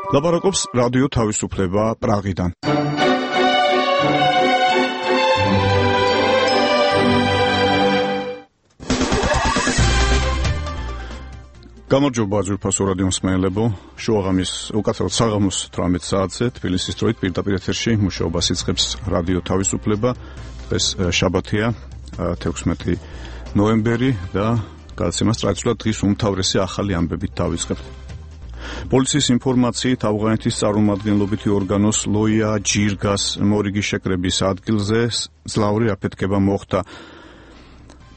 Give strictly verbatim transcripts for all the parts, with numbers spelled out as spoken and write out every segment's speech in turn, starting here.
ლაპარაკობს რადიო თავისუფლება პრაღიდან. გამარჯობა ძვირფასო რადიო მსმენელებო, შუაღამის უკაცრავად საღამოს თვრამეტ საათზე თბილისის დროით პირდაპირ ეთერში მუშაობას იწყებს რადიო თავისუფლება. დღეს შაბათია, თექვსმეტი ნოემბერი და გადაცემას ტრადიციულად დღის უმთავრესი ახალი ამბებით დავიწყებთ. პოლიციის ინფორმაციით ავღანეთის წარმომადგენლობითი ორგანოს ლოია ჯირგას მორიგის შეკრების ადგილზე ძლავრი აფეთქება მოხდა.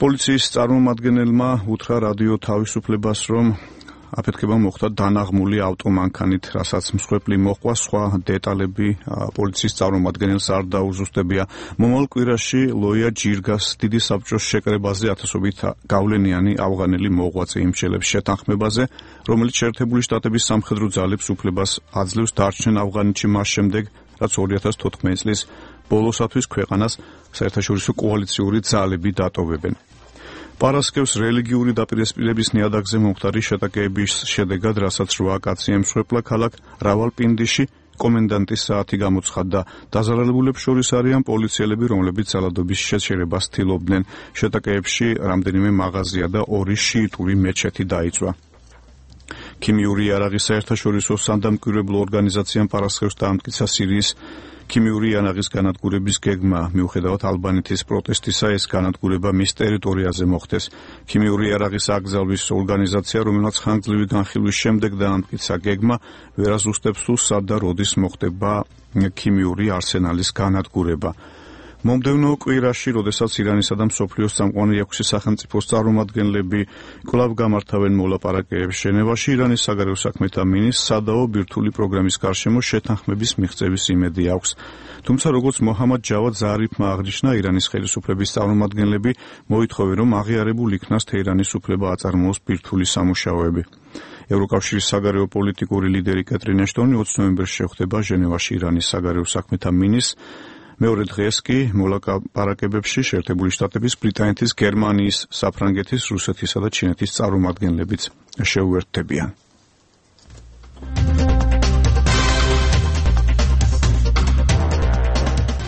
პოლიციის წარმომადგენელმა უთხრა რადიო თავისუფლებას, რომ აფეთქება მოხდა დანაღმული ავტომანქანით, რასაც მსხვერპლი მოჰყვა. სხვა დეტალები პოლიციის წარმომადგენელს არ დაუზუსტებია. მომავალ კვირაში ლოია ჯირგას დიდი საბჭოს შეკრებაზე ათასობით გავლენიანი ავღანელი მოღვაწე იმსჯელებს შეთანხმებაზე, რომელიც შეერთებული შტატების სამხედრო ძალებს უფლებას აძლევს დარჩენ ავღანეთში მას შემდეგ, რაც ორი ათას თოთხმეტი წლის ბოლოსათვის ქვეყანას საერთაშორისო კოალიციური ძალები დატოვებენ. პარასკევს რელიგიური დაპირისპირების ნიადაგზე მომხდარი შეტაკების შედეგად, რასაც რვა კაცი ემსხვერპლა ქალაქ რავალპინდიში, კომენდანტის საათი გამოცხადდა. დაზარალებულებს შორის არიან პოლიციელები, რომლებიც ძალადობის შეჩერებას ცდილობდნენ. შეტაკეებში რამდენიმე მაღაზია და ორი შიიტური მეჩეთი დაიწვა. ქიმიური იარაღის საერთაშორისო სანდამკვირვებლო ორგანიზაციამ პარასკევს დაამტკიცა სირიის ქიმიური იარაღის განადგურების გეგმა. მიუხედავად ალბანეთის პროტესტისა, ეს განადგურება მის ტერიტორიაზე მოხდეს. ქიმიური იარაღის აკრძალვის ორგანიზაცია, რომელსაც ხანგრძლივი განხილვის შემდეგ დაამტკიცა გეგმა, ვერ აზუსტებს თუ სად და როდის მოხდება ქიმიური არსენალის განადგურება. მომდევნო კვირაში, როდესაც ირანისა და მსოფლიოს წამყვანი ექვსი სახელმწიფოს წარმომადგენლები კვლავ გამართავენ მოლაპარაკებებს ჟენევაში, ირანის საგარეო საქმეთა მინისტრს სადაო ბირთვული პროგრამის გარშემო შეთანხმების მიღწევის იმედი აქვს. თუმცა, როგორც მოჰამად ჯავად ზარიფმა აღნიშნა, ირანის ხელისუფლების წარმომადგენლები მოითხოვენ, რომ აღიარებულ იქნას თეირანის უფლება აწარმოოს ბირთვული სამუშაოები. ევროკავშირის საგარეო პოლიტიკური ლიდერი კეტრინ ეშტონი ოცი ნოემბერს შეხვდება ჟენევაში ირანის საგარეო საქმეთა მინისტრს. მეორე დღეს კი მოლაპარაკებებში შეერთებული შტატების, ბრიტანეთის, გერმანიის, საფრანგეთის, რუსეთისა და ჩინეთის წარმომადგენლებიც შეუერთდებიან.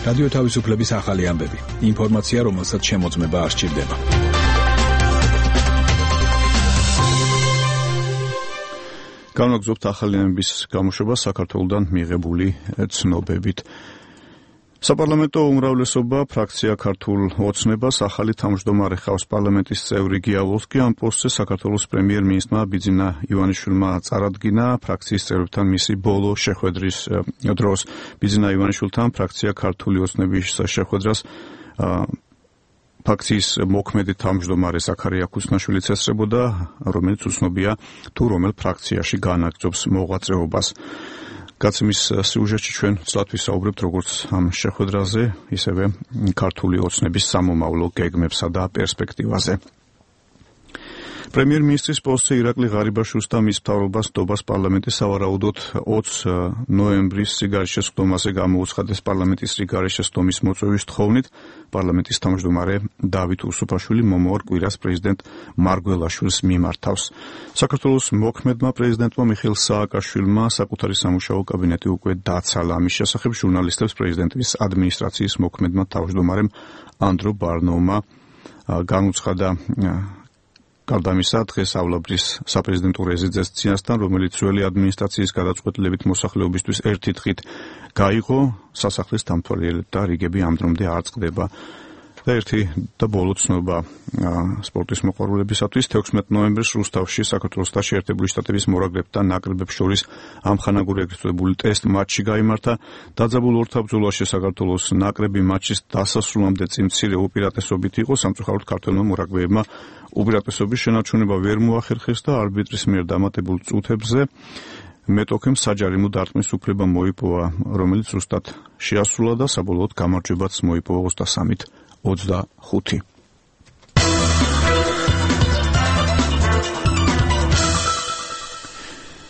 რადიო თავისუფლების ახალი ამბები. ინფორმაცია, რომელსაც შემოწმება არ სჭირდება. განვაგრძობთ ახალი ამბების გამოშვება საქართველოდან მიღებული ცნობებით. საპარლამენტო უმრავლესობა ფრაქცია ქართულ ოცნებას ახალი თავმჯდომარე ხავს. პარლამენტის წევრი გია ვოლსკი ამ პოსტზე საქართველოს პრემიერ-მინისტრმა ბიძინა ივანიშვილმა წარადგინა ფრაქციის წევრებთან მისი ბოლო შეხვედრის დროს. ბიძინა ივანიშვილთან ფრაქცია ქართული ოცნების შეხვედრას ფრაქციის მოქმედი თავმჯდომარე ზაქარია ქუსნაშვილიც ესწრებოდა, რომელიც უცნობია თუ რომელ ფრაქციაში განაგრძობს მოღვაწეობას. გაცემის სიუჟეტში ჩვენ ცლად ვისაუბრებთ როგორც ამ შეხვედრაზე, ისევე ქართული ოცნების სამომავლო გეგმებსა და პერსპექტივაზე. პრემიერ-მინისტრის პოსტზე ირაკლი ღარიბაშვილს და მის მთავრობას ნდობას პარლამენტი სავარაუდოდ ოცი ნოემბრის სიგარეშესხდომაზე გამოუცხადეს პარლამენტის სიგარეშესხდომის მოწვევის თხოვნით. პარლამენტის თავმჯდომარე დავით უსუფაშვილი მომავალ კვირას პრეზიდენტ მარგველაშვილს მიმართავს. საქართველოს მოქმედმა პრეზიდენტმა მიხეილ სააკაშვილმა საკუთარი სამუშაო კაბინეტი უკვე დაცალა. ამის შესახებ ჟურნალისტებს პრეზიდენტის ადმინისტრაციის მოქმედმა თავმჯდომარემ ანდრო ბარნოვმა განუცხადა. გარდა ამისა, დღეს ავლაბრის საპრეზიდენტო რეზიდენციასთან, რომელიც ძველი ადმინისტრაციის გადაწყვეტილებით მოსახლეობისთვის ერთი დღით გაიღო, სასახლის დამთვალიერებლად და რიგები ამ დრომდე არ წყდება. და ერთი და ბოლო ცნობა სპორტის მოყვარულებისათვის. თექვსმეტი ნოემბერს რუსთავში საქართველოს და შეერთებული შტატების მორაგბეთა ნაკრებებს შორის ამხანაგური ეგრეთწოდებული ტესტ მატჩი გაიმართა. დაძაბულ ორთაბრძოლაში საქართველოს ნაკრები მატჩის დასასრულამდე წინ მცირე უპირატესობით იყო, სამწუხაროდ ქართველმა მორაგბეებმა უპირატესობის შენარჩუნება ვერ მოახერხეს და არბიტრის მიერ დამატებულ წუთებზე მეტოქემ საჯარიმო დარტყმის უფლება მოიპოვა, რომელიც ზუსტად შეასრულა და საბოლოოდ გამარჯვებაც მოიპოვა ოცდასამით ოცდახუთი.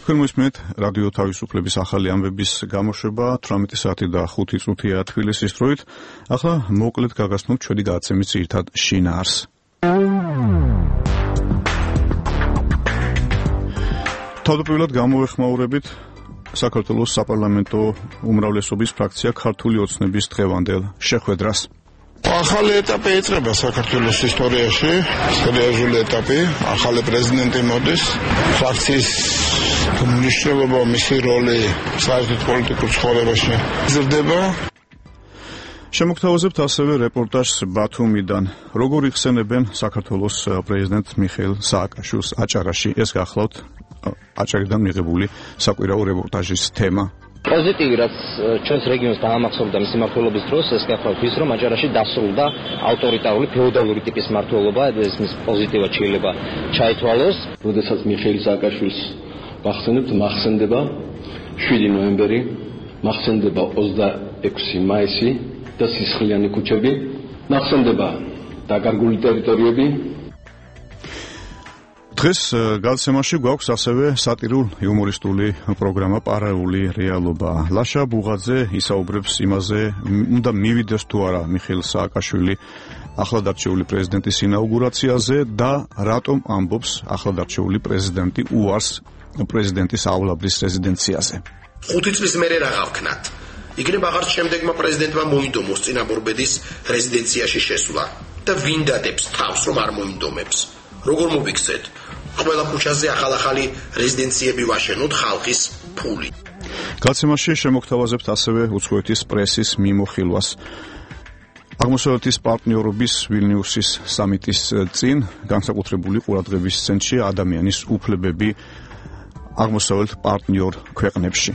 თქვენ მოსმენთ რადიო თავისუფლების ახალი ამბების გამოშვება თვრამეტი საათი და ხუთი წუთია თბილისის დროით. ახლა მოკლედ გაგაცნობთ ჩვენი გადაცემის ძირითად შინაარსს. თავდაპირველად გამოვეხმაურებით საქართველოს საპარლამენტო უმრავლესობის ფრაქცია ქართული ოცნების დღევანდელ შეხვედრას. ახალი ეტაპი ეწება საქართველოს ისტორიაში, სერიოზული ეტაპი, ახალი პრეზიდენტი მოდის, ფრაქციის მნიშვნელობა, მისი როლი საერთოდ პოლიტიკურ ცხოვრებაში იზრდება. შემოგთავაზებთ ასევე რეპორტაჟს ბათუმიდან. როგორ იხსენებენ საქართველოს პრეზიდენტ მიხეილ სააკაშვილს აჭარაში? ეს გახლავთ აჭარიდან მიღებული საკვირაო რეპორტაჟის თემა. Pozitīvi, რაც ჩვენს რეგიონს დაამახსოვრდა მისი მმართველობის დროს, ეს გახლავთ ის, რომ აჭარაში დასრულდა ავტორიტარული ფეოდალური ტიპის მმართველობა, ეს მის პოზიტივად შეიძლება ჩაითვალოს. როდესაც მიხეილ სააკაშვილს ვახსენებთ, მახსენდება შვიდი ნოემბერი, მახსენდება ოცდაექვსი მაისი და სისხლიანი ქუჩები, მახსენდება დაკარგული ტერიტორიები. დღეს გადაცემაში გვაქვს ასევე სატირულ-იუმორისტული პროგრამა პარალელური რეალობა. ლაშა ბუღაძე ისაუბრებს იმაზე, უნდა მივიდეს თუ არა მიხეილ სააკაშვილი ახლად არჩეული პრეზიდენტის ინაუგურაციაზე და რატომ ამბობს ახლად არჩეული პრეზიდენტი უარს პრეზიდენტისავლაბრის რეზიდენციაზე. ხუთი წლის მერე რა გავქნათ? იქნებ აღარც შემდეგმა პრეზიდენტმა მოინდომოს წინაბორბედის რეზიდენციაში შესვლა და ვინ დადებს თავს რომ არ მოინდომებს? როგორ მოვიქცეთ? ყველა ქუჩაზე ახალ-ახალი რეზიდენციები ვაშენოთ ხალხის ფული. გადაცემაში შემოგთავაზებთ ასევე უცხოეთის პრესის მიმოხილვას. აღმოსავლეთის პარტნიორობის ვილნიუსის სამიტის წინ განსაკუთრებული ყურადღების ცენტრში ადამიანის უფლებები აღმოსავლეთ პარტნიორ ქვეყნებში.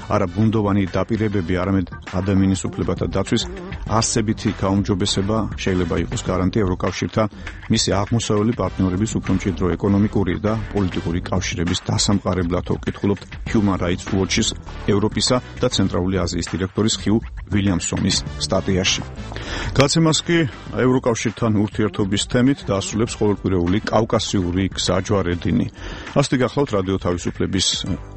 არა ბუნდოვანი დაპირებები, არამედ ადამიანის უფლებათა დაცვის არსებითი გაუმჯობესება შეიძლება იყოს გარანტია ევროკავშირთან მისი აღმოსავლელი პარტნიორების უფრო მჭიდრო ეკონომიკური და პოლიტიკური კავშირების დასამყარებლად ვკითხულობთ Human Rights Watch-ის ევროპისა და ცენტრალური აზიის დირექტორის ხიუ ვილიამსონის სტატიაში. გადაცემას კი ევროკავშირთან ურთიერთობის თემით დაასრულებს ყოველკვირეული კავკასიური გზა ჯვარედინი. ასეთი გახლავთ რადიო თავისუფლების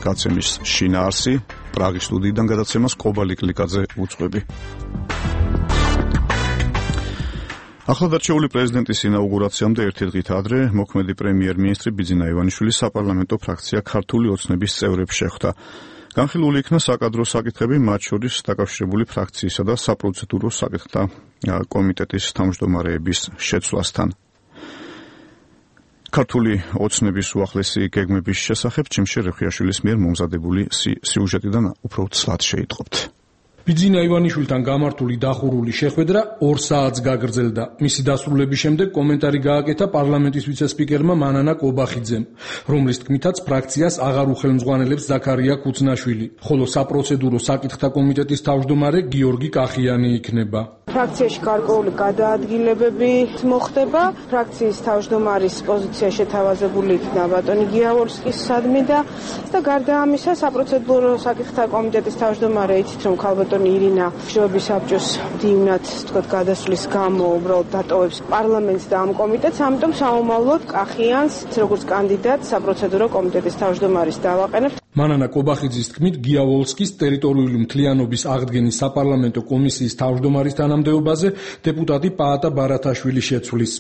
გადაცემის შინაარსი. პრაღის სტუდიიდან გადაცემას კობალი კლიკაძე უძღვები. ახლად არჩეული პრეზიდენტის ინაუგურაციამდე ერთი დღით ადრე მოქმედი პრემიერ-მინისტრი ბიძინა ივანიშვილი საპარლამენტო ფრაქცია ქართული ოცნების წევრებს შეხვდა. განხილული იქნა საკადრო საკითხები, მათ შორის დაკავშირებული ფრაქციისა და საპროცედურო საკითხთა კომიტეტის თავმჯდომარეების შეცვლასთან. ქართული ოცნების უახლესი გეგმების შესახებ ჩიმშე რეხიაშვილის მიერ მომზადებული სიუჟეტიდან უფრო ცლად შეიტყობთ. ბიძინა ივანიშვილთან გამართული დახურული შეხვედრა ორ საათს გაგრძელდა. მისი დასრულების შემდეგ კომენტარი გააკეთა პარლამენტის ვიცე-სპიკერმა მანანა კობახიძემ, რომლის თქმითაც ფრაქციას აღარ უხელმძღვანელებს ზაქარია ქუცნაშვილი, ხოლო საპროცედურო საკითხთა კომიტეტის თავმჯდომარე გიორგი კახიანი იქნება. ფრაქციაში გარკვეული გადაადგილებები მოხდება. ფრაქციის თავმჯდომარის პოზიცია შეთავაზებული იქნა ბატონი გიავალსკისადმი და და გარდა ამისა საპროცედურო საკითხთა კომიტეტის თავმჯდომარე იცით რომ ქალბატონი ირინა მშვიდობის საბჭოს დივნად თქვათ გადასვლის გამო უბრალოდ დატოვებს პარლამენტს და ამ კომიტეტს, ამიტომ საომალოდ კახიანს როგორც კანდიდატს საპროცედურო კომიტეტის თავმჯდომარის დავაყენებთ. მანანა კობახიძის თქმით გიავალსკის ტერიტორიული მთლიანობის აღდგენის საპარლამენტო კომისიის თავმჯდომარის თანამდებობაზე დეპუტატი პაატა ბარათაშვილი შეცვლის.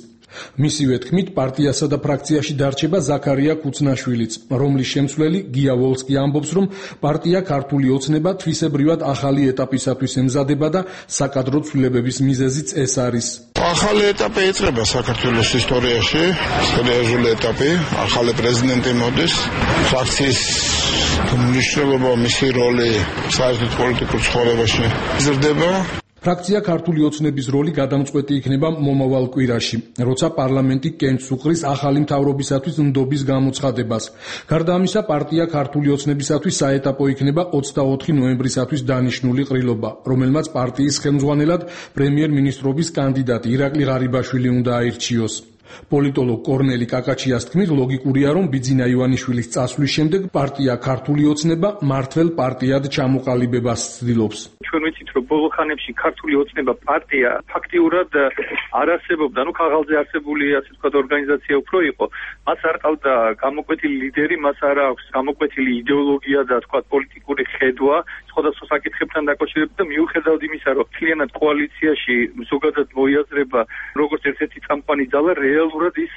მისივე თქმით პარტიასა და ფრაქციაში დარჩება ზაქარია ქუცნაშვილიც, რომლის შემცვლელი გიავალსკი ამბობს, რომ პარტია ქართული ოცნება თვისებრივად ახალი ეტაპისათვის ემზადება და საკადრო ცვლილებების მიზეზიც ეს არის. ახალი ეტაპი ეწება საქართველოს ისტორიაში, სერიოზული ეტაპი, ახალი პრეზიდენტი მოდის, ფრაქციის მნიშვნელობა, მისი როლი საერთოდ პოლიტიკურ ცხოვრებაში იზრდება. ფრაქცია ქართული ოცნების როლი გადამწყვეტი იქნება მომავალ კვირაში, როცა პარლამენტი კენჭს უყრის ახალი მთავრობისათვის ნდობის გამოცხადებას. გარდა ამისა, პარტია ქართული ოცნებისათვის საეტაპო იქნება ოცდაოთხი ნოემბრისათვის დანიშნული ყრილობა, რომელმაც პარტიის ხელმძღვანელად პრემიერ-მინისტრობის კანდიდატი ირაკლი ღარიბაშვილი უნდა აირჩიოს. პოლიტოლოგ კორნელი კაკაჩიას თქმით, ლოგიკურია, რომ ბიძინა ივანიშვილის წასვლის შემდეგ პარტია ქართული ოცნება მართლ პარტიად ჩამოყალიბებას ცდილობს. ჩვენ ვიცით, რომ ბოლო ხანებში ქართული ოცნება პარტია ფაქტიურად არ არსებობდა, ну ქაღალდზე არსებული ასე ვთქვათ ორგანიზაცია უფრო იყო. მას არ ყავდა გამოკვეთილი ლიდერი, მას არ აქვს გამოკვეთილი იდეოლოგია და ვთქვათ პოლიტიკური ხედვა სხვადასხვა საკითხებთან დაკავშირებით და მიუხედავად იმისა, რომ მთლიანად კოალიციაში ზოგადად მოიაზრება როგორც ერთ-ერთი წამყვანი ძალა, რეალურად ის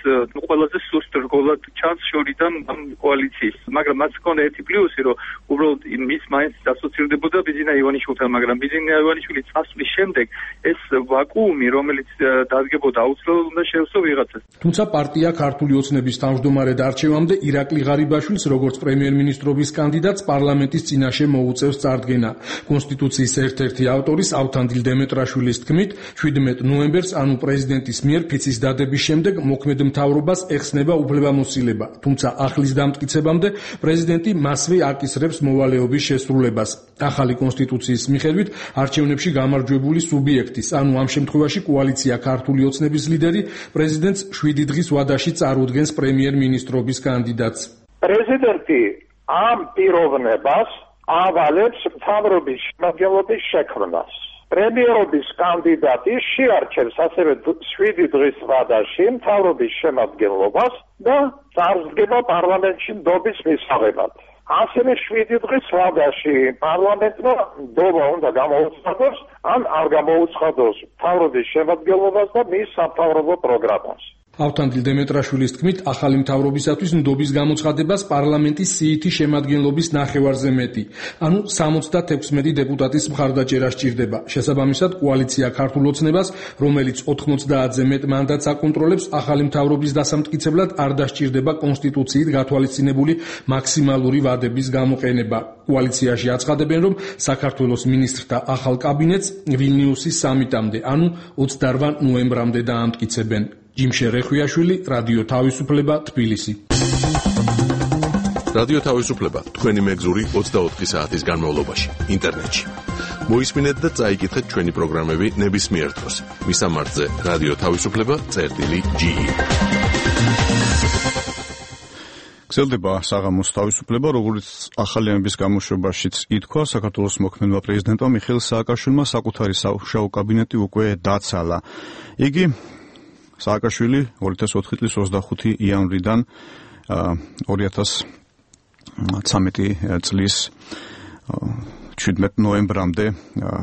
ყველაზე სუსტ რგოლად ჩანს შორიდან ამ კოალიციის. მაგრამ მას ჰქონდა ერთი პლუსი, რომ უბრალოდ მის მაინც ასოცირდებოდა ბიძინა ივანიშვილთან, მაგრამ ბიძინა ივანიშვილი წასვლის შემდეგ ეს ვაკუუმი, რომელიც დადგებოდა, აუცილებლად უნდა შეესწრო ვიღაცას. თუმცა პარტია ქართული ოცნების თავმჯდომარედ არჩევამდე ირაკლი ღარიბაშვილს როგორც პრემიერ-მინისტრობის კანდიდატს პარლამენტის წინაშე მოუწევს წარდგენა. კონსტიტუციის ერთ-ერთი ავტორის ავთანდილ დემეტრაშვილის თქმით, შვიდმეტ ნოემბერს, ანუ პრეზიდენტის მიერ ფიცის დადების შემდეგ მოქმედ მთავრობას ეხსნება უფლებამოსილება, თუმცა ახლის დამტკიცებამდე პრეზიდენტი მასვე აკისრებს მოვალეობის შესრულებას. ახალი კონსტიტუციის მიხედვით არჩევნებში გამარჯვებული სუბიექტის, ანუ ამ შემთხვევაში კოალიცია ქართული ოცნების ლიდერი პრეზიდენტს შვიდი დღის ვადაში წარუდგენს პრემიერ-მინისტრობის კანდიდატს. პრეზიდენტი ამ პიროვნებას ავალებს მთავრობის შემადგენლობის შექმნას. პრემიერობის კანდიდატი შეარჩევს ასევე შვიდი დღის ვადაში მთავრობის შემადგენლობას და წარსდგება პარლამენტში ნდობის მისაღებად. ასევე შვიდი დღის ვადაში პარლამენტმა ნდობა უნდა გამოუცხადოს ან არ გამოუცხადოს მთავრობის შემადგენლობას და მის სამთავრობო პროგრამას. ავთანდილ დემეტრაშვილის თქმით, ახალი მთავრობისათვის ნდობის გამოცხადებას პარლამენტის სიითი შემადგენლობის ნახევარზე მეტი, ანუ სამოცდათექვსმეტი დეპუტატის მხარდაჭერა სჭირდება. შესაბამისად, კოალიცია ქართულ ოცნებას, რომელიც ოთხმოცდაათზე მეტ მანდატს აკონტროლებს, ახალი მთავრობის დასამტკიცებლად არ დასჭირდება კონსტიტუციით გათვალისწინებული მაქსიმალური ვადების გამოყენება. კოალიციაში აცხადებენ, რომ საქართველოს მინისტრთა ახალ კაბინეტს ვილნიუსის სამიტამდე, ანუ ოცდაოთხ ნოემბრამდე დაამტკიცებენ. ჯიმშე რეხვიაშვილი, რადიო თავისუფლება, თბილისი. რადიო თავისუფლება, თქვენი მეგზური ოცდაოთხი საათის განმავლობაში, ინტერნეტში. მოისმინეთ და წაიკითხეთ ჩვენი პროგრამები ნებისმიერ დროს. მისამართზე რადიო თავისუფლება წერტილი ჯი. გრძელდება საღამოს თავისუფლება, როგორც ახალიანების გამოშვებაშიც ითქვა, საქართველოს მოქმედმა პრეზიდენტმა მიხეილ სააკაშვილმა საკუთარი სამუშაო კაბინეტი უკვე დაცალა. იგი სააკაშვილი ორი ათას ოთხი წლის ოცდახუთი იანვრიდან ორი ათას ცხრამეტი წლის შვიდმეტ ნოემბრამდე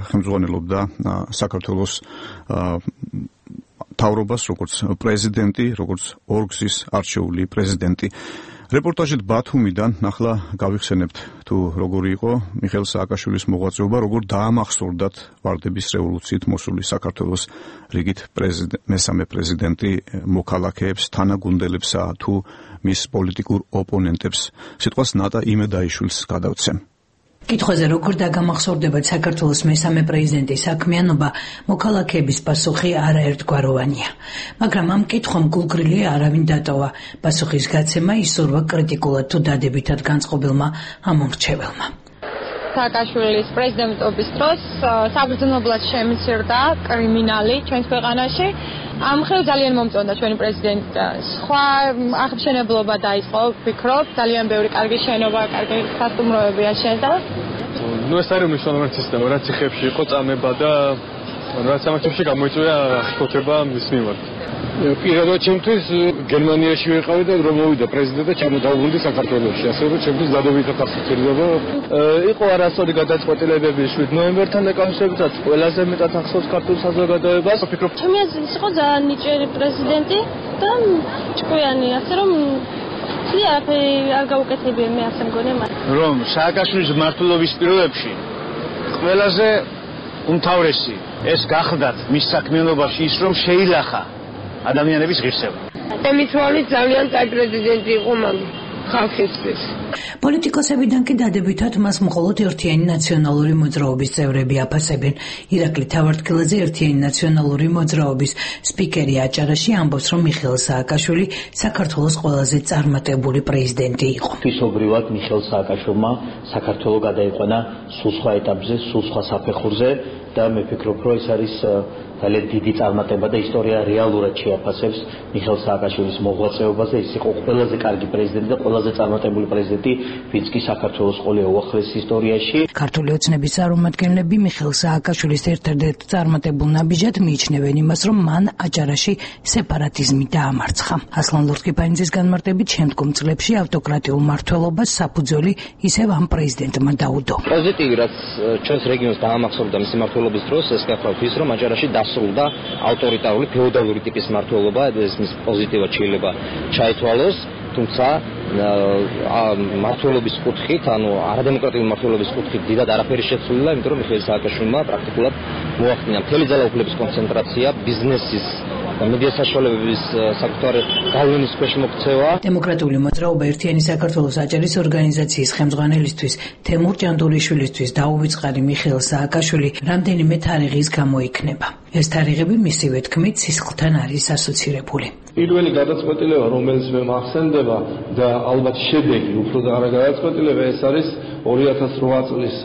ხელმძღვანელობდა საქართველოს მთავრობას როგორც პრეზიდენტი, როგორც ორგზის არჩეული პრეზიდენტი. რეპორტაჟით ბათუმიდან ახლა გავიხსენებთ თუ როგორი იყო მიხეილ სააკაშვილის მოღვაწეობა, როგორ დაამახსოვრდათ ვარდების რევოლუციით მოსული საქართველოს რიგით მესამე პრეზიდენტი მოქალაქეებს, თანაგუნდელებსა თუ მის პოლიტიკურ ოპონენტებს. სიტყვას ნატა იმედაიშვილს გადავცემ. კითხვაზე როგორ დაგამახსოვრდებათ საქართველოს მესამე პრეზიდენტის საქმიანობა, მოქალაქეების პასუხი არაერთგვაროვანია. მაგრამ ამ კითხვამ გულგრილი არავინ დატოვა. პასუხის გაცემა ისურვა კრიტიკულად თუ დადებითად განწყობილმა ამომრჩეველმა. სააკაშვილის პრეზიდენტობის დროს საბრძნებლად შემცირდა კრიმინალი ჩვენს ქვეყანაში. ამ ხელ ძალიან მომწონდა ჩვენი პრეზიდენტი და სხვა აღმშენებლობა დაიწყო, ვფიქრობ, ძალიან ბევრი კარგი შენობა, კარგი სასტუმროები აშენდა. ნუ ეს არის მნიშვნელოვანი სისტემა, რაც იხებში იყო წამება და რაც ამათებში გამოიწვია აღშფოთება მის მიმართ. პირადად ჩემთვის გერმანიაში ვიყავი და რომ მოვიდა პრეზიდენტი და ჩამოდაუბრუნდი საქართველოში, ასე რომ ჩემთვის დადებითად ასოცირდება. იყო არასწორი გადაწყვეტილებები შვიდ ნოემბერთან დაკავშირებით, ყველაზე მეტად ახსოვს ქართულ საზოგადოებას. ვფიქრობ, ჩემი აზრით იყო ძალიან ნიჭიერი პრეზიდენტი და ჭკვიანი, ასე რომ არაფერი არ გაუკეთებია, მე ასე მგონია მათ. რომ სააკაშვილის მმართველობის პირობებში ყველაზე უმთავრესი ეს გახდათ მის საქმიანობაში ის, რომ შეილახა ადამიანების ღირსება. ემითვალის ძალიან კაი პრეზიდენტი იყო მაგ ხალხისთვის. პოლიტიკოსებიდან კი დადებითად მას მხოლოდ ერთიანი ნაციონალური მოძრაობის წევრები აფასებენ. ირაკლი თავართქილაძე ერთიანი ნაციონალური მოძრაობის სპიკერი აჭარაში ამბობს, რომ მიხეილ სააკაშვილი საქართველოს ყველაზე წარმატებული პრეზიდენტი იყო. თვისობრივად მიხეილ სააკაშვილმა საქართველო გადაიყვანა სულ სხვა ეტაპზე, სულ სხვა საფეხურზე და მე ვფიქრობ, რომ ეს არის ძალიან დიდი წარმატება და ისტორია რეალურად შეაფასებს მიხეილ სააკაშვილის მოღვაწეობას და ის იყო ყველაზე კარგი პრეზიდენტი და ყველაზე წარმატებული პრეზიდენტი, ვინც კი საქართველოს ყოლია უახლეს ისტორიაში. ქართული ოცნების წარმომადგენლები მიხეილ სააკაშვილის ერთ-ერთ წარმატებულ ნაბიჯად მიიჩნევენ იმას, რომ მან აჭარაში სეპარატიზმი დაამარცხა. ასლან ლორთქიფანიძის განმარტებით, შემდგომ წლებში ავტოკრატიულ მმართველობას საფუძველი ისევ ამ პრეზიდენტმა დაუდო. პოზიტივი, რაც ჩვენს რეგიონს დაამახსოვრდა მისი მმართველობის დროს, ეს გახლავთ ის, რომ აჭარაში დასრულდა ავტორიტარული ფეოდალური ტიპის მმართველობა, ეს მის პოზიტივად შეიძლება ჩაითვალოს, თუმცა მართლობის კუთხით, ანუ არადემოკრატიული მართლობის კუთხით დიდად არაფერი შეცვლილა, იმიტომ რომ მიხეილ სააკაშვილმა პრაქტიკულად მოახდინა მთელი ძალაუფლების კონცენტრაცია, ბიზნესის და მედია საშუალებების საკუთარი გავლენის ქვეშ მოქცევა. დემოკრატიული მოძრაობა ერთიანი საქართველოს აჭარის ორგანიზაციის ხელმძღვანელისთვის თემურ ჭანდურიშვილისთვის დაუვიწყარი მიხეილ სააკაშვილი რამდენიმე თარიღის გამო იქნება. ეს თარიღები მისივე თქმით სისხლთან არის ასოცირებული. პირველი გადაწყვეტილება, რომელიც მე მახსენდება და ალბათ შედეგი უფრო და არა გადაწყვეტილება, ეს არის ორი ათას რვა წლის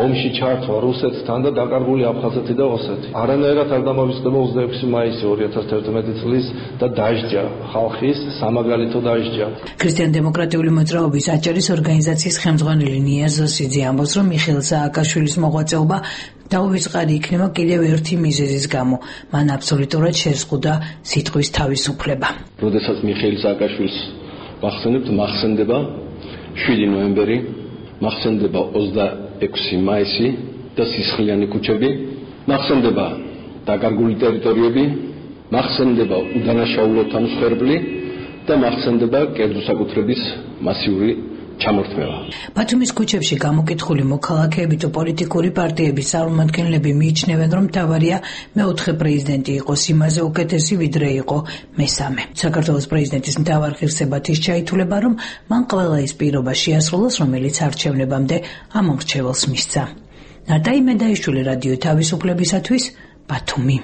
ომში ჩართვა რუსეთთან და დაკარგული აფხაზეთი და ოსეთი. არანაირად არ დამოვიწყდება ოცდაექვსი მაისი ორი ათას თერთმეტი წლის და დაჟჯა ხალხის სამაგალითო დაჟჯა. ქრისტიან-დემოკრატიული მოძრაობის აჭარის ორგანიზაციის ხელმძღვანელი ნიაზ ზოსიძე ამბობს, რომ მიხეილ სააკაშვილის მოღვაწეობა დაუვიწყარი იქნება კიდევ ერთი მიზეზის გამო. მან აბსოლუტურად შეზღუდა სიტყვის თავისუფლება. როდესაც მიხეილ სააკაშვილს ვახსენებთ, მახსენდება შვიდი ნოემბერი, მახსენდება ოცდაექვსი მაისი და სისხლიანი ქუჩები, მახსენდება დაკარგული ტერიტორიები, მახსენდება უდანაშაულოთა მსხვერპლი და მახსენდება კერძო საკუთრების მასიური ჩამორთმევა. ბათუმის ქუჩებში გამოკითხული მოქალაქეები თუ პოლიტიკური პარტიების წარმომადგენლები მიიჩნევენ, რომ მთავარია მეოთხე პრეზიდენტი იყოს იმაზე უკეთესი, ვიდრე იყო მესამე. საქართველოს პრეზიდენტის მთავარ ღირსებად ის ჩაითვლება, რომ მან ყველა ის პირობა შეასრულოს, რომელიც არჩევნებამდე ამორჩეველს მისცა. ნატაი მედაიშვილი, რადიო თავისუფლებისათვის, ბათუმი.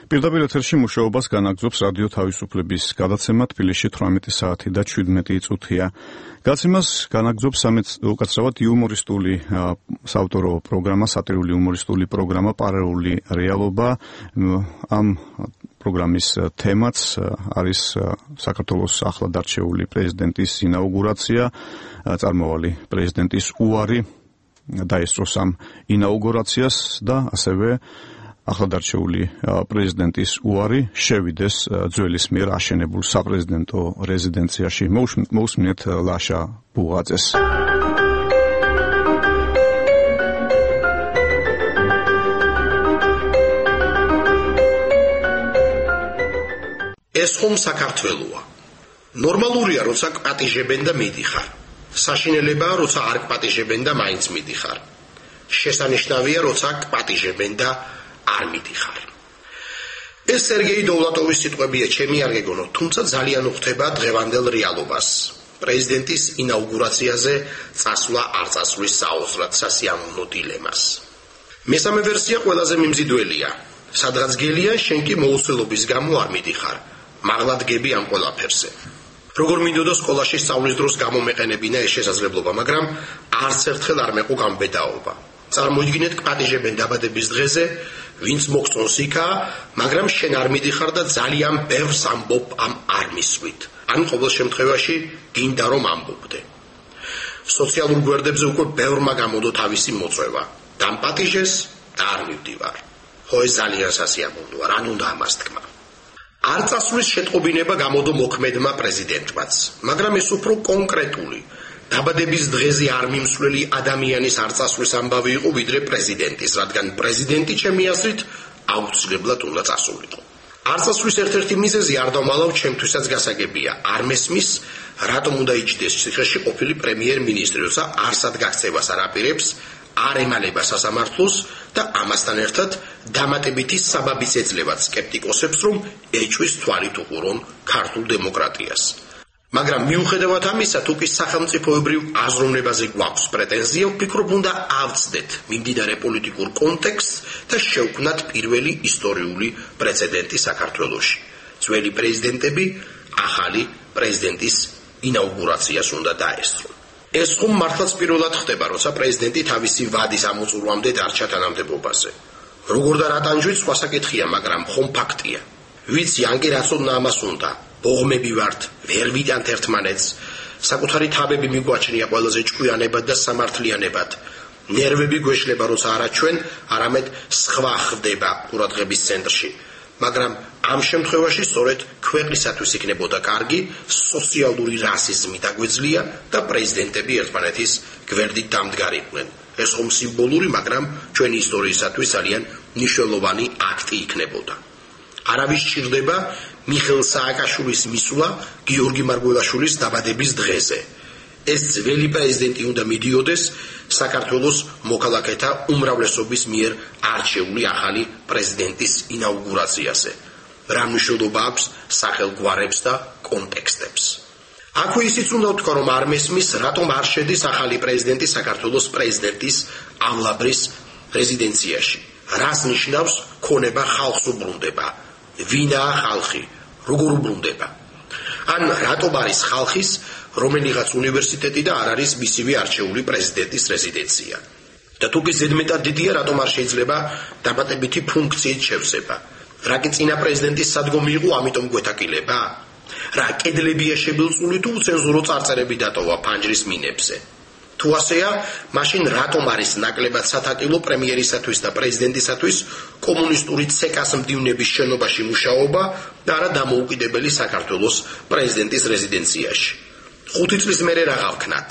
პირდაპირ ეთერში მუშაობას განაგრძობს რადიო თავისუფლების გადაცემა თბილისში თვრამეტი საათი და შვიდმეტი წუთია. გადაცემას განაგრძობს უკაცრავად იუმორისტული საავტორო პროგრამა, სატირული იუმორისტული პროგრამა პარალელური რეალობა. ამ პროგრამის თემაც არის საქართველოს ახლად არჩეული პრეზიდენტის ინაუგურაცია, წარმავალი პრეზიდენტის უარი დაესწროს ამ ინაუგურაციას და ასევე ახლადარჩეული პრეზიდენტის უარი შევიდეს ძველის მიერ აშენებულ საპრეზიდენტო რეზიდენციაში. მოусმინეთ ლაშა ბუღაძეს. ეს ხომ საქართველოა. ნორმალურია, როცა პატიჟებენ და მიდიხარ. საშინელებაა, როცა არ პატიჟებენ და მაინც მიდიხარ. შესანიშნავია, როცა პატიჟებენ და არ მიდიხარ. ეს სერგეი დოვლატოვის სიტყვებია, ჩემი არ გეგონო, თუმცა ძალიან უხდება დღევანდელ რეალობას. პრეზიდენტის ინაუგურაციაზე წასვლა არ წასვლის საოცრად სასიამოვნო დილემას. მესამე ვერსია ყველაზე მიმზიდველია. სადღაც გელია, შენ კი მოუცველობის გამო არ მიდიხარ. მაღლა დგები ამ ყველაფერზე. როგორ მინდოდა სკოლაში სწავლის დროს გამომეყენებინა ეს შესაძლებლობა, მაგრამ არც ერთხელ არ მეყო გამბედაობა. წარმოიდგინეთ, პატიჟებენ დაბადების დღეზე, ვინც მოგწონს იქა, მაგრამ შენ არ მიდიხარ და ძალიან ბევრს ამბობ ამ არ მისვით. ან ყოველ შემთხვევაში გინდა რომ ამბობდე. სოციალურ გვერდებზე უკვე ბევრმა გამოდო თავისი მოწვევა. დამპატიჟეს და არ მივდივარ. ხო, ეს ძალიან სასიამოვნოა, რან უნდა ამას თქვა. არ წასვლის შეტყობინება გამოდო მოქმედმა პრეზიდენტმაც, მაგრამ ეს უფრო კონკრეტული. დაბადების დღეზე არ მიმსვლელი ადამიანის არ წასვლის ამბავი იყო ვიდრე პრეზიდენტის, რადგან პრეზიდენტი ჩემი აზრით აუცილებლად უნდა წასულიყო. არ წასვლის ერთ-ერთი მიზეზი არ დავმალავ, ჩემთვისაც გასაგებია. არ მესმის, რატომ უნდა იჯდეს ციხეში ყოფილი პრემიერ-მინისტრი, როცა არსად გაქცევას არ აპირებს, არ ემალება სასამართლოს და ამასთან ერთად დამატებითი საბაბიც ეძლევათ სკეპტიკოსებს, რომ ეჭვის თვალით უყურონ ქართულ დემოკრატიას. მაგრამ მიუხედავად ამისა, თუ კი სახელმწიფოებრივ აზროვნებაზე გვაქვს პრეტენზია, ვფიქრობ, უნდა ავწდეთ მიმდინარე პოლიტიკურ კონტექსტს და შევქმნათ პირველი ისტორიული პრეცედენტი საქართველოში. ძველი პრეზიდენტები ახალი პრეზიდენტის ინაუგურაციას უნდა დაესწრონ. ეს ხომ მართლაც პირველად ხდება, როცა პრეზიდენტი თავისი ვადის ამოწურვამდე დარჩა თანამდებობაზე. როგორ და რა ტანჯვით სხვა საკითხია, მაგრამ ხომ ფაქტია. ვიცი, ან კი რაც უნდა ამას უნდა. ბოღმები ვართ, ვერ ვიტანთ ერთმანეთს, საკუთარი თავები მიგვაჩნია ყველაზე ჭკვიანებად და სამართლიანებად. ნერვები გვეშლება, როცა არა ჩვენ, არამედ სხვა ხდება ყურადღების ცენტრში. მაგრამ ამ შემთხვევაში სწორედ ქვეყნისათვის იქნებოდა კარგი სოციალური რასიზმი დაგვეძლია და პრეზიდენტები ერთმანეთის გვერდით დამდგარიყვნენ. ეს ხომ სიმბოლური, მაგრამ ჩვენი ისტორიისათვის ძალიან მნიშვნელოვანი აქტი იქნებოდა. არავის სჭირდება მიხეილ სააკაშვილის მისვლა გიორგი მარგველაშვილის დაბადების დღეზე. ეს ძველი პრეზიდენტი უნდა მიდიოდეს საქართველოს მოქალაქეთა უმრავლესობის მიერ არჩეული ახალი პრეზიდენტის ინაუგურაციაზე. რა მნიშვნელობა აქვს სახელგვარებს და კონტექსტებს. აქვე ისიც უნდა ვთქვა, რომ არ მესმის, რატომ არ შედის ახალი პრეზიდენტი საქართველოს პრეზიდენტის ამლაბრის რეზიდენციაში. რას ნიშნავს ქონება ხალხს უბრუნდება? ვინაა ხალხი? როგორ უბრუნდება? ან რატომ არის ხალხის რომელიღაც უნივერსიტეტი და არ არის მისივე არჩეული პრეზიდენტის რეზიდენცია? და თუ კი ზედმეტად დიდია, რატომ არ შეიძლება დამატებითი ფუნქციით შევსება? რა კი წინა პრეზიდენტის სადგომი იყო, ამიტომ გვეთაკილება? რა კედლებია შებილწული თუ უცენზურო წარწერები დატოვა ფანჯრის მინებზე? თუ ასეა, მაშინ რატომ არის ნაკლებად სათაკილო პრემიერისათვის და პრეზიდენტისათვის კომუნისტური ცეკას მდივნების შენობაში მუშაობა და არა დამოუკიდებელი საქართველოს პრეზიდენტის რეზიდენციაში? ხუთი წლის მერე რა გავქნათ?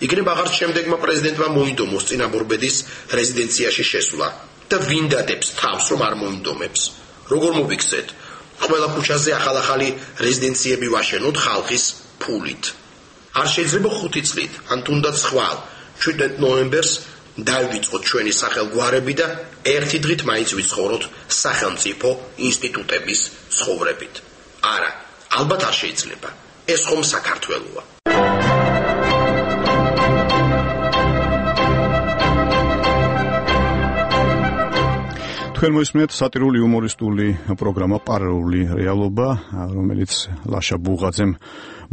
იქნებ აღარც შემდეგმა პრეზიდენტმა მოინდომოს წინაბორბედის რეზიდენციაში შესვლა და ვინ დადებს თავს, რომ არ მოინდომებს? როგორ მოვიქცეთ? ყველა ქუჩაზე ახალ-ახალი რეზიდენციები ვაშენოთ ხალხის ფულით. არ შეიძლება ხუთი წლით, ან თუნდაც ხვალ, შვიდ ნოემბერს დავიწყოთ ჩვენი სახელგვარები და ერთი დღით მაინც ვიცხოვროთ სახელმწიფო ინსტიტუტების ცხოვრებით. არა, ალბათ არ შეიძლება. ეს ხომ საქართველოა. თქვენ მოისმენთ სატირული იუმორისტული პროგრამა პარალელური რეალობა, რომელიც ლაშა ბუღაძემ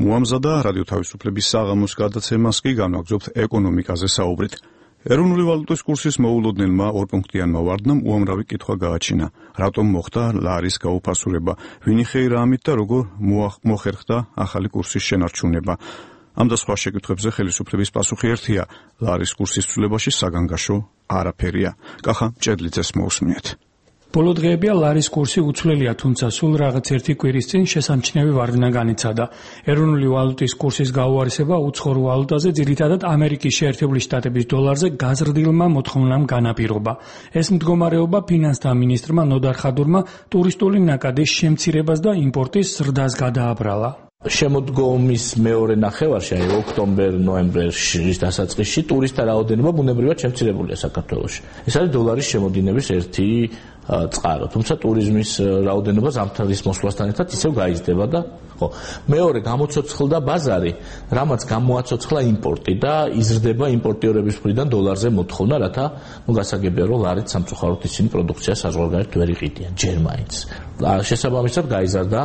მოამზადა რადიო თავისუფლების საღამოს გადაცემას კი განვაგრძობთ ეკონომიკაზე საუბრით. ეროვნული ვალუტის კურსის მოულოდნელმა ორპუნქტიანმა ვარდნამ უამრავი კითხვა გააჩინა. რატომ მოხდა ლარის გაუფასურება? ვინი ხეირა ამით და როგორ მოხერხდა ახალი კურსის შენარჩუნება? ამ და სხვა შეკითხვებზე ხელისუფლების პასუხი ერთია: ლარის კურსის ცვლილებაში საგანგაშო არაფერია. კახა ჭედლიძეს მოусმინეთ. ბოლო დღეებია ლარის კურსი უცვლელია, თუმცა სულ რაღაც ერთი კვირის წინ შესამჩნევი ვარდნა განიცადა. ეროვნული ვალუტის კურსის გაუარესება უცხოურ ვალუტაზე, ძირითადად ამერიკის შეერთებული შტატების დოლარზე გაზრდილმა მოთხოვნამ განაპირობა. ეს მდგომარეობა ფინანსთა მინისტრმა ნოდარ ხადურმა ტურისტული ნაკადის შემცირებას და იმპორტის ზრდას გადააბრალა. შემოდგომის მეორე ნახევარში, აი ოქტომბერ-ნოემბერში დასაწყისში ტურისტთა რაოდენობა ბუნებრივად შემცირებულია საქართველოში. ეს არის დოლარის შემოდინების ერთი წყარო. თუმცა ტურიზმის რაოდენობა ზამთრის მოსვლასთან ერთად ისევ გაიზრდება და ხო, მეორე გამოცოცხლდა ბაზარი, რამაც გამოაცოცხლა იმპორტი და იზრდება იმპორტიორების მხრიდან დოლარზე მოთხოვნა, რათა ნუ გასაგებია რომ ლარით სამწუხაროდ ისინი პროდუქციას საზღვარგარეთ ვერ იყიდიან ჯერ მაინც. შესაბამისად გაიზარდა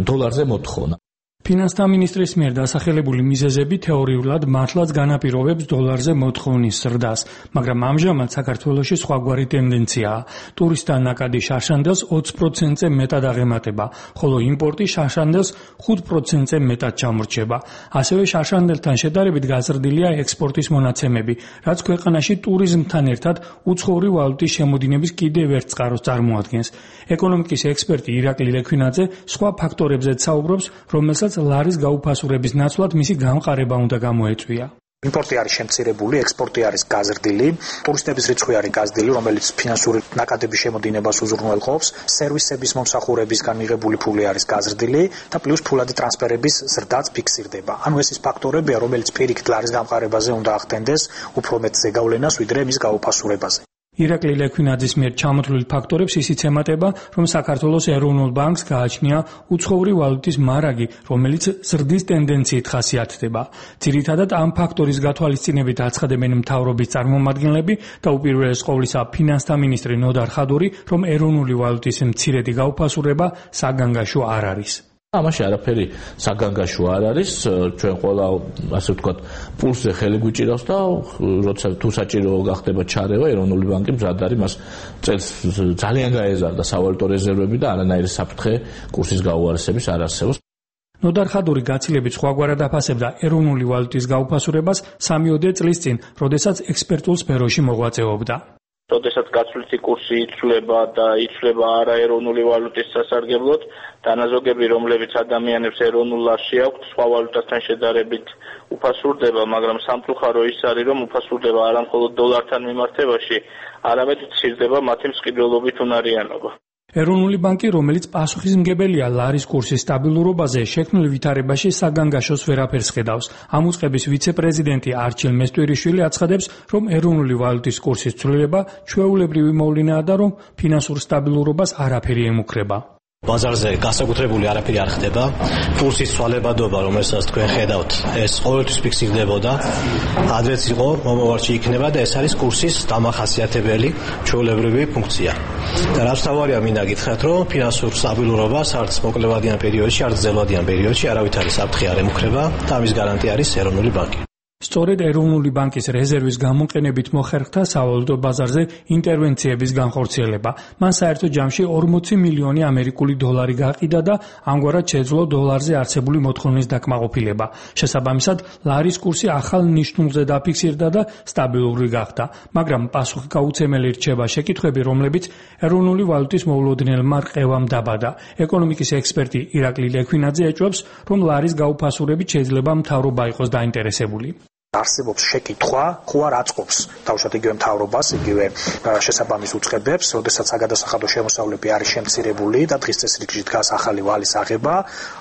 დოლარზე მოთხოვნა. ფინანსთა მინისტრის მიერ დასახელებული მიზეზები თეორიულად მართლაც განაპირობებს დოლარზე მოთხოვნის ზრდას, მაგრამ ამჟამად საქართველოში სხვაგვარი ტენდენციაა. ტურისტთა ნაკადი შარშანდელს ოცი პროცენტზე მეტად აღემატება, ხოლო იმპორტი შარშანდელს ხუთი პროცენტზე მეტად ჩამორჩება. ასევე შარშანდელთან შედარებით გაზრდილია ექსპორტის მონაცემები, რაც ქვეყანაში ტურიზმთან ერთად უცხოური ვალუტის შემოდინების კიდევ ერთ წყაროს წარმოადგენს. ეკონომიკის ექსპერტი ირაკლი ლექვინაძე სხვა ფაქტორებზეც საუბრობს, რომელსაც ლარის გაუფასურების ნაცვლად მისი გამყარება უნდა გამოეწვია. იმპორტი არის შემცირებული, ექსპორტი არის გაზრდილი, ტურისტების რიცხვი არის გაზრდილი, რომელიც ფინანსური ნაკადების შემოდინებას უზრუნველყოფს, სერვისების მომსახურებისგან მიღებული ფული არის გაზრდილი და პლუს ფულადი ტრანსფერების ზრდაც ფიქსირდება. ანუ ეს ის ფაქტორებია, რომელიც პირიქით ლარის გამყარებაზე უნდა ახდენდეს უფრო მეტ ზეგავლენას, ვიდრე მის გაუფასურებაზე. ირაკლი ლექვინაძის მიერ ჩამოთვლილ ფაქტორებს ისიც ემატება, რომ საქართველოს ეროვნულ ბანკს გააჩნია უცხოური ვალუტის მარაგი, რომელიც ზრდის ტენდენციით ხასიათდება. ძირითადად ამ ფაქტორის გათვალისწინებით აცხადებენ მთავრობის წარმომადგენლები და უპირველეს ყოვლისა ფინანსთა მინისტრი ნოდარ ხადური, რომ ეროვნული ვალუტის მცირედი გაუფასურება საგანგაშო არ არის. ამაში არაფერი საგანგაშო არ არის, ჩვენ ყველა ასე ვთქვათ პულსზე ხელი გვიჭირავს და როცა თუ საჭირო გახდება ჩარევა, ეროვნული ბანკი მზად არის მას წელს ძალიან გაეზარდა სავალუტო რეზერვები და არანაირი საფრთხე კურსის გაუარესების არ არსებობს. ნოდარ ხადური გაცილებით სხვაგვარად აფასებდა ეროვნული ვალუტის გაუფასურებას სამიოდე წლის წინ, როდესაც ექსპერტულ სფეროში მოღვაწეობდა. როდესაც გაცვლითი კურსი იცვლება და იცვლება არაეროვნული ვალუტის სასარგებლოდ, დანაზოგები, რომლებიც ადამიანებს ეროვნულ ლარში აქვთ, სხვა ვალუტასთან შედარებით უფასურდება, მაგრამ სამწუხარო ის არის, რომ უფასურდება არა მხოლოდ დოლართან მიმართებაში, არამედ მცირდება მათი მსყიდველობით უნარიანობა. ეროვნული ბანკი, რომელიც პასუხისმგებელია ლარის კურსის სტაბილურობაზე, შექმნილ ვითარებაში საგანგაშოს ვერაფერს ხედავს. ამ უწყების ვიცე-პრეზიდენტი არჩილ მესტვირიშვილი აცხადებს, რომ ეროვნული ვალუტის კურსის ცვლილება ჩვეულებრივი მოვლენაა და რომ ფინანსურ სტაბილურობას არაფერი ემუქრება. ბაზარზე განსაკუთრებული არაფერი არ ხდება. კურსის ცვალებადობა, რომელსაც თქვენ ხედავთ, ეს ყოველთვის ფიქსირდებოდა. ადრეც იყო, მომავალში იქნება და ეს არის კურსის დამახასიათებელი ჩვეულებრივი ფუნქცია. და რაც თავარია მინდა გითხრათ, რომ ფინანსურ სტაბილურობას არც მოკლევადიან პერიოდში, არც გრძელვადიან პერიოდში არავითარი საფრთხე არ ემუქრება და ამის გარანტი არის ეროვნული ბანკი. სწორედ ეროვნული ბანკის რეზერვის გამოყენებით მოხერხდა სავალუტო ბაზარზე ინტერვენციების განხორციელება. მან საერთო ჯამში ორმოცი მილიონი ამერიკული დოლარი გაყიდა და ამგვარად შეძლო დოლარზე არსებული მოთხოვნის დაკმაყოფილება. შესაბამისად, ლარის კურსი ახალ ნიშნულზე დაფიქსირდა და სტაბილური გახდა. მაგრამ პასუხი გაუცემელი რჩება შეკითხვები, რომლებიც ეროვნული ვალუტის მოულოდნელმა რყევამ დაბადა. ეკონომიკის ექსპერტი ირაკლი ლექვინაძე ეჭვობს, რომ ლარის გაუფასურებით შეიძლება მთავრობა იყოს დაინტერესებული. არსებობს შეკითხვა, ხო არ აწყობს თავშოთ იგივე მთავრობას, იგივე შესაბამის უწყებებს, როდესაც საგადასახადო შემოსავლები არის შემცირებული და დღის წესრიგში დგას ახალი ვალის აღება,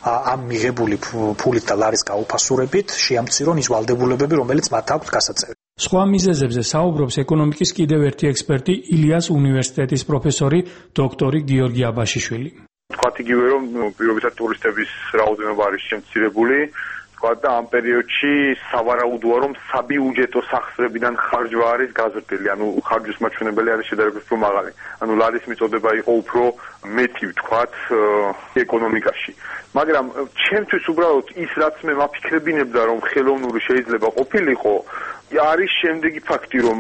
ამ მიღებული ფულით და ლარის გაუფასურებით შეამცირონ ის ვალდებულებები, რომელიც მათ აქვთ გასაწევი. სხვა მიზეზებზე საუბრობს ეკონომიკის კიდევ ერთი ექსპერტი, ილიას უნივერსიტეტის პროფესორი, დოქტორი გიორგი აბაშიშვილი. თქვათ იგივე რომ პირობითად ტურისტების რაოდენობა არის შემცირებული, და ამ პერიოდში სავარაუდოა რომ საბიუჯეტო სახსრებიდან ხარჯვა არის გაზრდილი, ანუ ხარჯვის მაჩვენებელი არის შედარებით უფრო მაღალი. ანუ ლარის მიწოდება იყო უფრო მეტი, ვთქვათ, ეკონომიკაში. მაგრამ ჩემთვის უბრალოდ ის რაც მე მაფიქრებინებდა რომ ხელოვნური შეიძლება ყოფილიყო, არის შემდეგი ფაქტი, რომ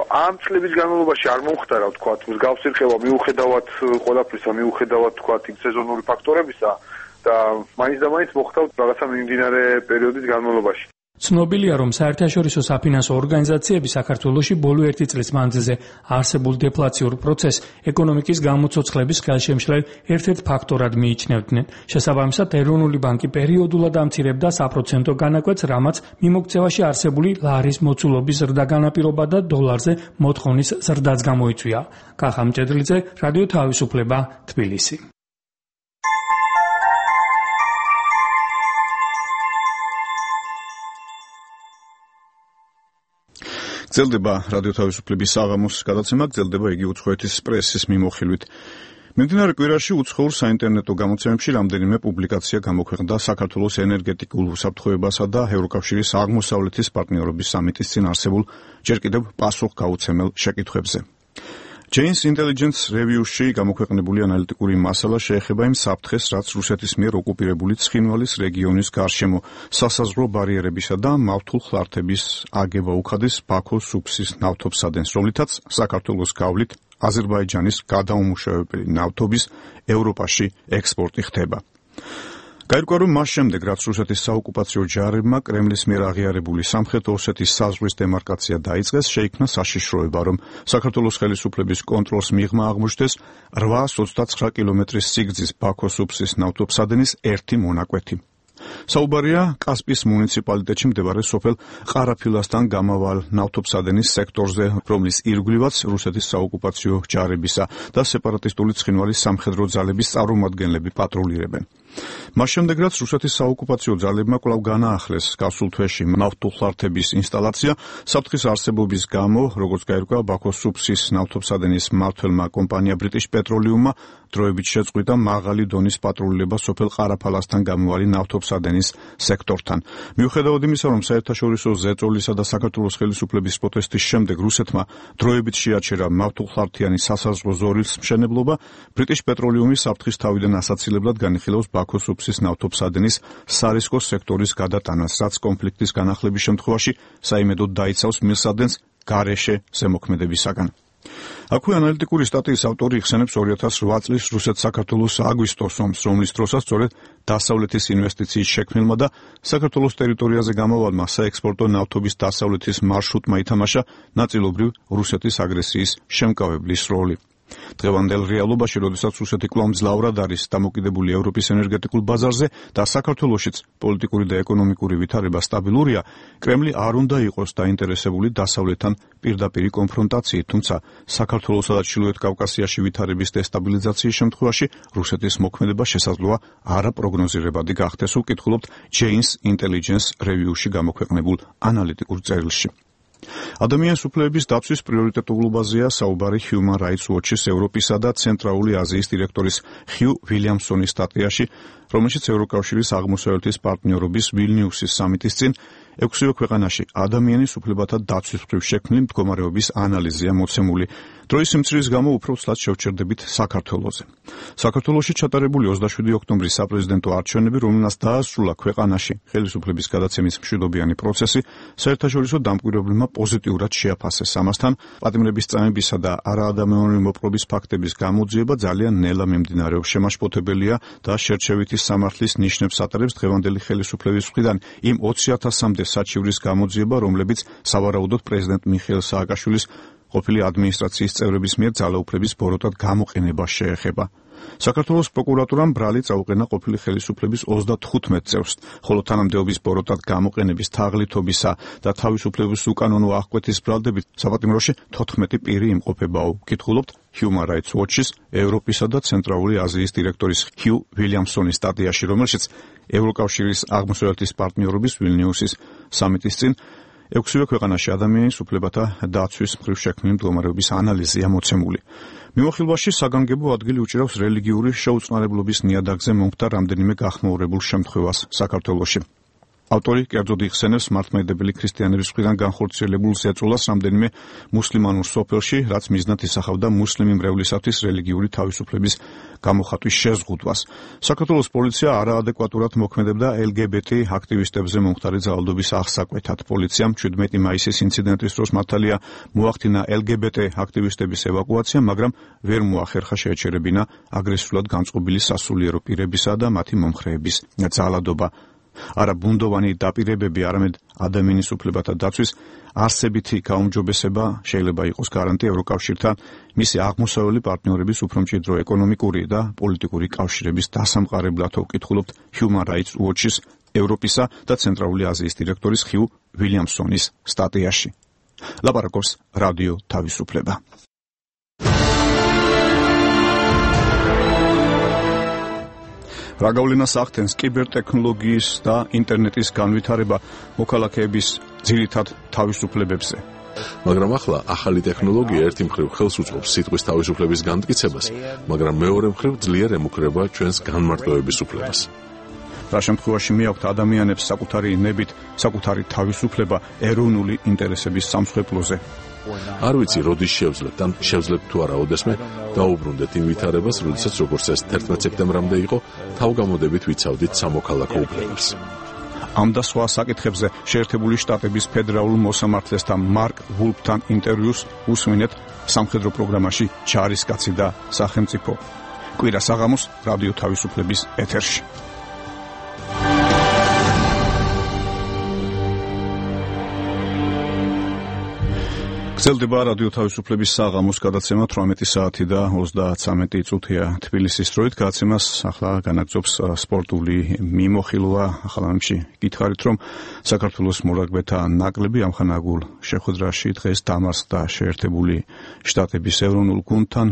ამ წლების განმავლობაში არ მომხდარა, ვთქვათ, მსგავსი რხევა მიუხედავად ყველაფრისა, მიუხედავად ვთქვათ სეზონური ფაქტორებისა და მაინც და მაინც მოხდა რაღაცა მიმდინარე პერიოდის განმავლობაში. ცნობილია, რომ საერთაშორისო საფინანსო ორგანიზაციები საქართველოში ბოლო ერთი წლის მანძილზე არსებულ დეფლაციურ პროცესს ეკონომიკის გამოცოცხლების ხელშემშლელ ერთ-ერთ ფაქტორად მიიჩნევდნენ. შესაბამისად, ეროვნული ბანკი პერიოდულად ამცირებდა საპროცენტო განაკვეთს, რამაც მიმოქცევაში არსებული ლარის მოცულობის ზრდა განაპირობა და დოლარზე მოთხოვნის ზრდაც გამოიწვია. კახა მჭედლიძე, რადიო თავისუფლება, თბილისი. გრძელდება რადიო თავისუფლების საღამოს გადაცემა, გრძელდება იგი უცხოეთის პრესის მიმოხილვით. მიმდინარე კვირაში უცხოურ საინტერნეტო გამოცემებში რამდენიმე პუბლიკაცია გამოქვეყნდა საქართველოს ენერგეტიკულ უსაფრთხოებასა და ევროკავშირის აღმოსავლეთის პარტნიორობის სამიტის წინ არსებულ ჯერ კიდევ პასუხგაუცემელ შეკითხვებზე. Jane's Intelligence Review-ში გამოქვეყნებული ანალიტიკური მასალა შეეხება იმ საფრთხეს, რაც რუსეთის მიერ ოკუპირებული ცხინვალის რეგიონის გარშემო სასაზღვრო ბარიერებისა და მავთულხლართების აგება უხადის ბაქოს სუფსის ნავთობსადენს, რომლითაც საქართველოს გავლით აზერბაიჯანის გადაუმუშავებელი ნავთობის ევროპაში ექსპორტი ხდება. გაირკვა, რომ მას შემდეგ, რაც რუსეთის საოკუპაციო ჯარებმა კრემლის მიერ აღიარებული სამხრეთ ოსეთის საზღვრის დემარკაცია დაიწყეს, შეიქმნა საშიშროება, რომ საქართველოს ხელისუფლების კონტროლს მიღმა აღმოჩნდეს რვაას ოცდაცხრა კილომეტრის სიგრძის ბაქოს სუფსის ნავთობსადენის ერთი მონაკვეთი. საუბარია კასპიის მუნიციპალიტეტში მდებარე სოფელ ყარაფილასთან გამავალ ნავთობსადენის სექტორზე, რომლის ირგვლივაც რუსეთის საოკუპაციო ჯარებისა და სეპარატისტული ცხინვალის სამხედრო ძალების წარმომადგენლები პატრულირებენ. მას შემდეგ, რაც რუსეთის საოკუპაციო ძალებმა კვლავ განაახლეს გასულ თვეში ნავთულხლართების ინსტალაცია, საფრთხის არსებობის გამო, როგორც გაირკვა, ბაქოს სუფსის ნავთობსადენის მმართველმა კომპანია British Petroleum-მა დროებით შეწყვიტა მაღალი დონის პატრულირება სოფელ ყარაფალასთან გამავალი ნავთობსადენის სექტორთან. მიუხედავად იმისა, რომ საერთაშორისო ზეწოლისა და საქართველოს ხელისუფლების პროტესტის შემდეგ რუსეთმა დროებით შეაჩერა მავთულხლართიანი სასაზღვრო ზოლის მშენებლობა, British Petroleum-ი საფრთხის თავიდან ასაცილებლად განიხილავს ბაქოს სუფსის ნავთობსადენის სარისკო სექტორის გადატანას, რაც კონფლიქტის განახლების შემთხვევაში საიმედოდ დაიცავს მილსადენს გარეშე ზემოქმედებისაგან. აქვე ანალიტიკური სტატიის ავტორი იხსენებს ორი ათას რვა წლის რუსეთ-საქართველოს აგვისტოს ომს, რომლის დროსაც სწორედ დასავლეთის ინვესტიციის შექმნილმა და საქართველოს ტერიტორიაზე გამავალმა საექსპორტო ნავთობის დასავლეთის მარშრუტმა ითამაშა ნაწილობრივ რუსეთის აგრესიის შემკავებლის როლი. დღევანდელ რეალობაში, როდესაც რუსეთი კვლავ მძლავრად არის დამოკიდებული ევროპის ენერგეტიკულ ბაზარზე და საქართველოშიც პოლიტიკური და ეკონომიკური ვითარება სტაბილურია, კრემლი არ უნდა იყოს დაინტერესებული დასავლეთთან პირდაპირი კონფრონტაციით, თუმცა საქართველოსა და ჩრდილოეთ კავკასიაში ვითარების დესტაბილიზაციის შემთხვევაში რუსეთის მოქმედება შესაძლოა არაპროგნოზირებადი გახდეს, უკითხულობთ Jane's Intelligence Review-ში გამოქვეყნებულ ანალიტიკურ წერილში. ადამიანის უფლებების დაცვის პრიორიტეტულობაზეა საუბარი Human Rights Watch-ის ევროპისა და ცენტრალური აზიის დირექტორის Hugh Williamson-ის სტატიაში, რომელშიც ევროკავშირის აღმოსავლეთის პარტნიორობის ვილნიუსის სამიტის წინ ექვსივე ქვეყანაში ადამიანის უფლებათა დაცვის მხრივ შექმნილი მდგომარეობის ანალიზია მოცემული. დროის სიმცირის გამო უფრო ცლად შევჩერდებით საქართველოზე. საქართველოში ჩატარებული ოცდაშვიდი ოქტომბრის საპრეზიდენტო არჩევნები, რომელნაც დაასრულა ქვეყანაში ხელისუფლების გადაცემის მშვიდობიანი პროცესი, საერთაშორისო დამკვირვებლებმა პოზიტიურად შეაფასეს. ამასთან, პატიმრების წამებისა და არაადამიანური მოპყრობის ფაქტების გამოძიება ძალიან ნელა მიმდინარეობს. შემაშფოთებელია და შერჩევითი სამართლის ნიშნებს ატარებს დღევანდელი ხელისუფლების მხრიდან იმ ოცი ათასამდე საჩივრის გამოძიება, რომლებიც სავარაუდოდ პრეზიდენტ მიხეილ სააკაშვილის ყოფილი ადმინისტრაციის წევრების მიერ ძალაუფლების ბოროტად გამოყენებას შეეხება. საქართველოს პროკურატურამ ბრალი წაუყენა ყოფილი ხელისუფლების ოცდათხუთმეტ წევრს, ხოლო თანამდებობის ბოროტად გამოყენების თაღლითობისა და თავისუფლების უკანონო აღკვეთის ბრალდებით საპატიმროში თოთხმეტი პირი იმყოფებაო. კითხულობთ Human Rights Watch-ის ევროპისა და ცენტრალური აზიის დირექტორის Hugh Williamson-ის სტატიაში, რომელშიც ევროკავშირის აღმოსავლეთის პარტნიორობის ვილნიუსის სამიტის წინ ექვსივე ქვეყანაში ადამიანის უფლებათა დაცვის მხრივ შექმნილი მდგომარეობის ანალიზია მოცემული. მიმოხილვაში საგანგებო ადგილი უჭირავს რელიგიური შეუწყნარებლობის ნიადაგზე მომხდარ რამდენიმე გახმაურებულ შემთხვევას საქართველოში. ავტორი კერძოდ იხსენებს მართლმადიდებელი ქრისტიანების მხრიდან განხორციელებულ ზეწოლას რამდენიმე მუსლიმანურ სოფელში, რაც მიზნად ისახავდა მუსლიმი მრევლისათვის რელიგიური თავისუფლების გამოხატვის შეზღუდვას. საქართველოს პოლიცია არაადეკვატურად მოქმედებდა ელ გი ბი ტი აქტივისტებზე მომხდარი ძალადობის აღსაკვეთად. პოლიციამ შვიდმეტი მაისის ინციდენტის დროს მართალია მოახდინა ელ გი ბი ტი აქტივისტების ევაკუაცია, მაგრამ ვერ მოახერხა შეეჩერებინა აგრესიულად განწყობილი სასულიერო პირებისა და მათი მომხრეების ძალადობა. არა ბუნდოვანი დაპირებები, არამედ ადამიანის უფლებათა დაცვის არსებითი გაუმჯობესება შეიძლება იყოს გარანტია ევროკავშირთან მისი აღმოსავლელი პარტნიორების უფრო მჭიდრო ეკონომიკური და პოლიტიკური კავშირების დასამყარებლად. უკითხულობთ Human Rights Watch-ის ევროპისა და ცენტრალური აზიის დირექტორის Hugh Williamson-ის სტატიაში. ლაპარაკობს რადიო თავისუფლება. რა გავლენას ახდენს კიბერთექნოლოგიის და ინტერნეტის განვითარება მოქალაქეების ძირითად თავისუფლებებზე? მაგრამ ახლა ახალი ტექნოლოგია ერთი მხრივ ხელს უწყობს სიტყვის თავისუფლების განმტკიცებას, მაგრამ მეორე მხრივ ძლიერ ემუქრება ჩვენს განმარტოების უფლებას. რა შემთხვევაში მიაქვთ ადამიანებს საკუთარი ნებით, საკუთარი თავისუფლება ეროვნული ინტერესების სამსხვერპლოზე? არ ვიცი, როდის შევძლებთ, ან შევძლებთ თუ არა ოდესმე დაუბრუნდეთ იმ ვითარებას, როდესაც როგორც ეს თერთმეტ სექტემბრამდე იყო, თავგამოდებით ვიცავდით სამოქალაქო უფლებებს. ამ და სხვა საკითხებზე შეერთებული შტატების ფედერალურ მოსამართლესთან მარკ ვულფთან ინტერვიუს უსმინეთ სამხედრო პროგრამაში ჯარისკაცი და სახელმწიფო. კვირა საღამოს რადიო თავისუფლების ეთერში. გრძელდება რადიო თავისუფლების საღამოს გადაცემა თვრამეტი საათი და ოცდაცამეტი წუთია თბილისის დროით. გადაცემას ახლა განაგრძობს სპორტული მიმოხილვა. ახალ ამში გითხარით, რომ საქართველოს მორაგბეთა ნაკრები ამხანაგურ შეხვედრაში დღეს დამარცხდა შეერთებული შტატების ეროვნულ გუნდთან.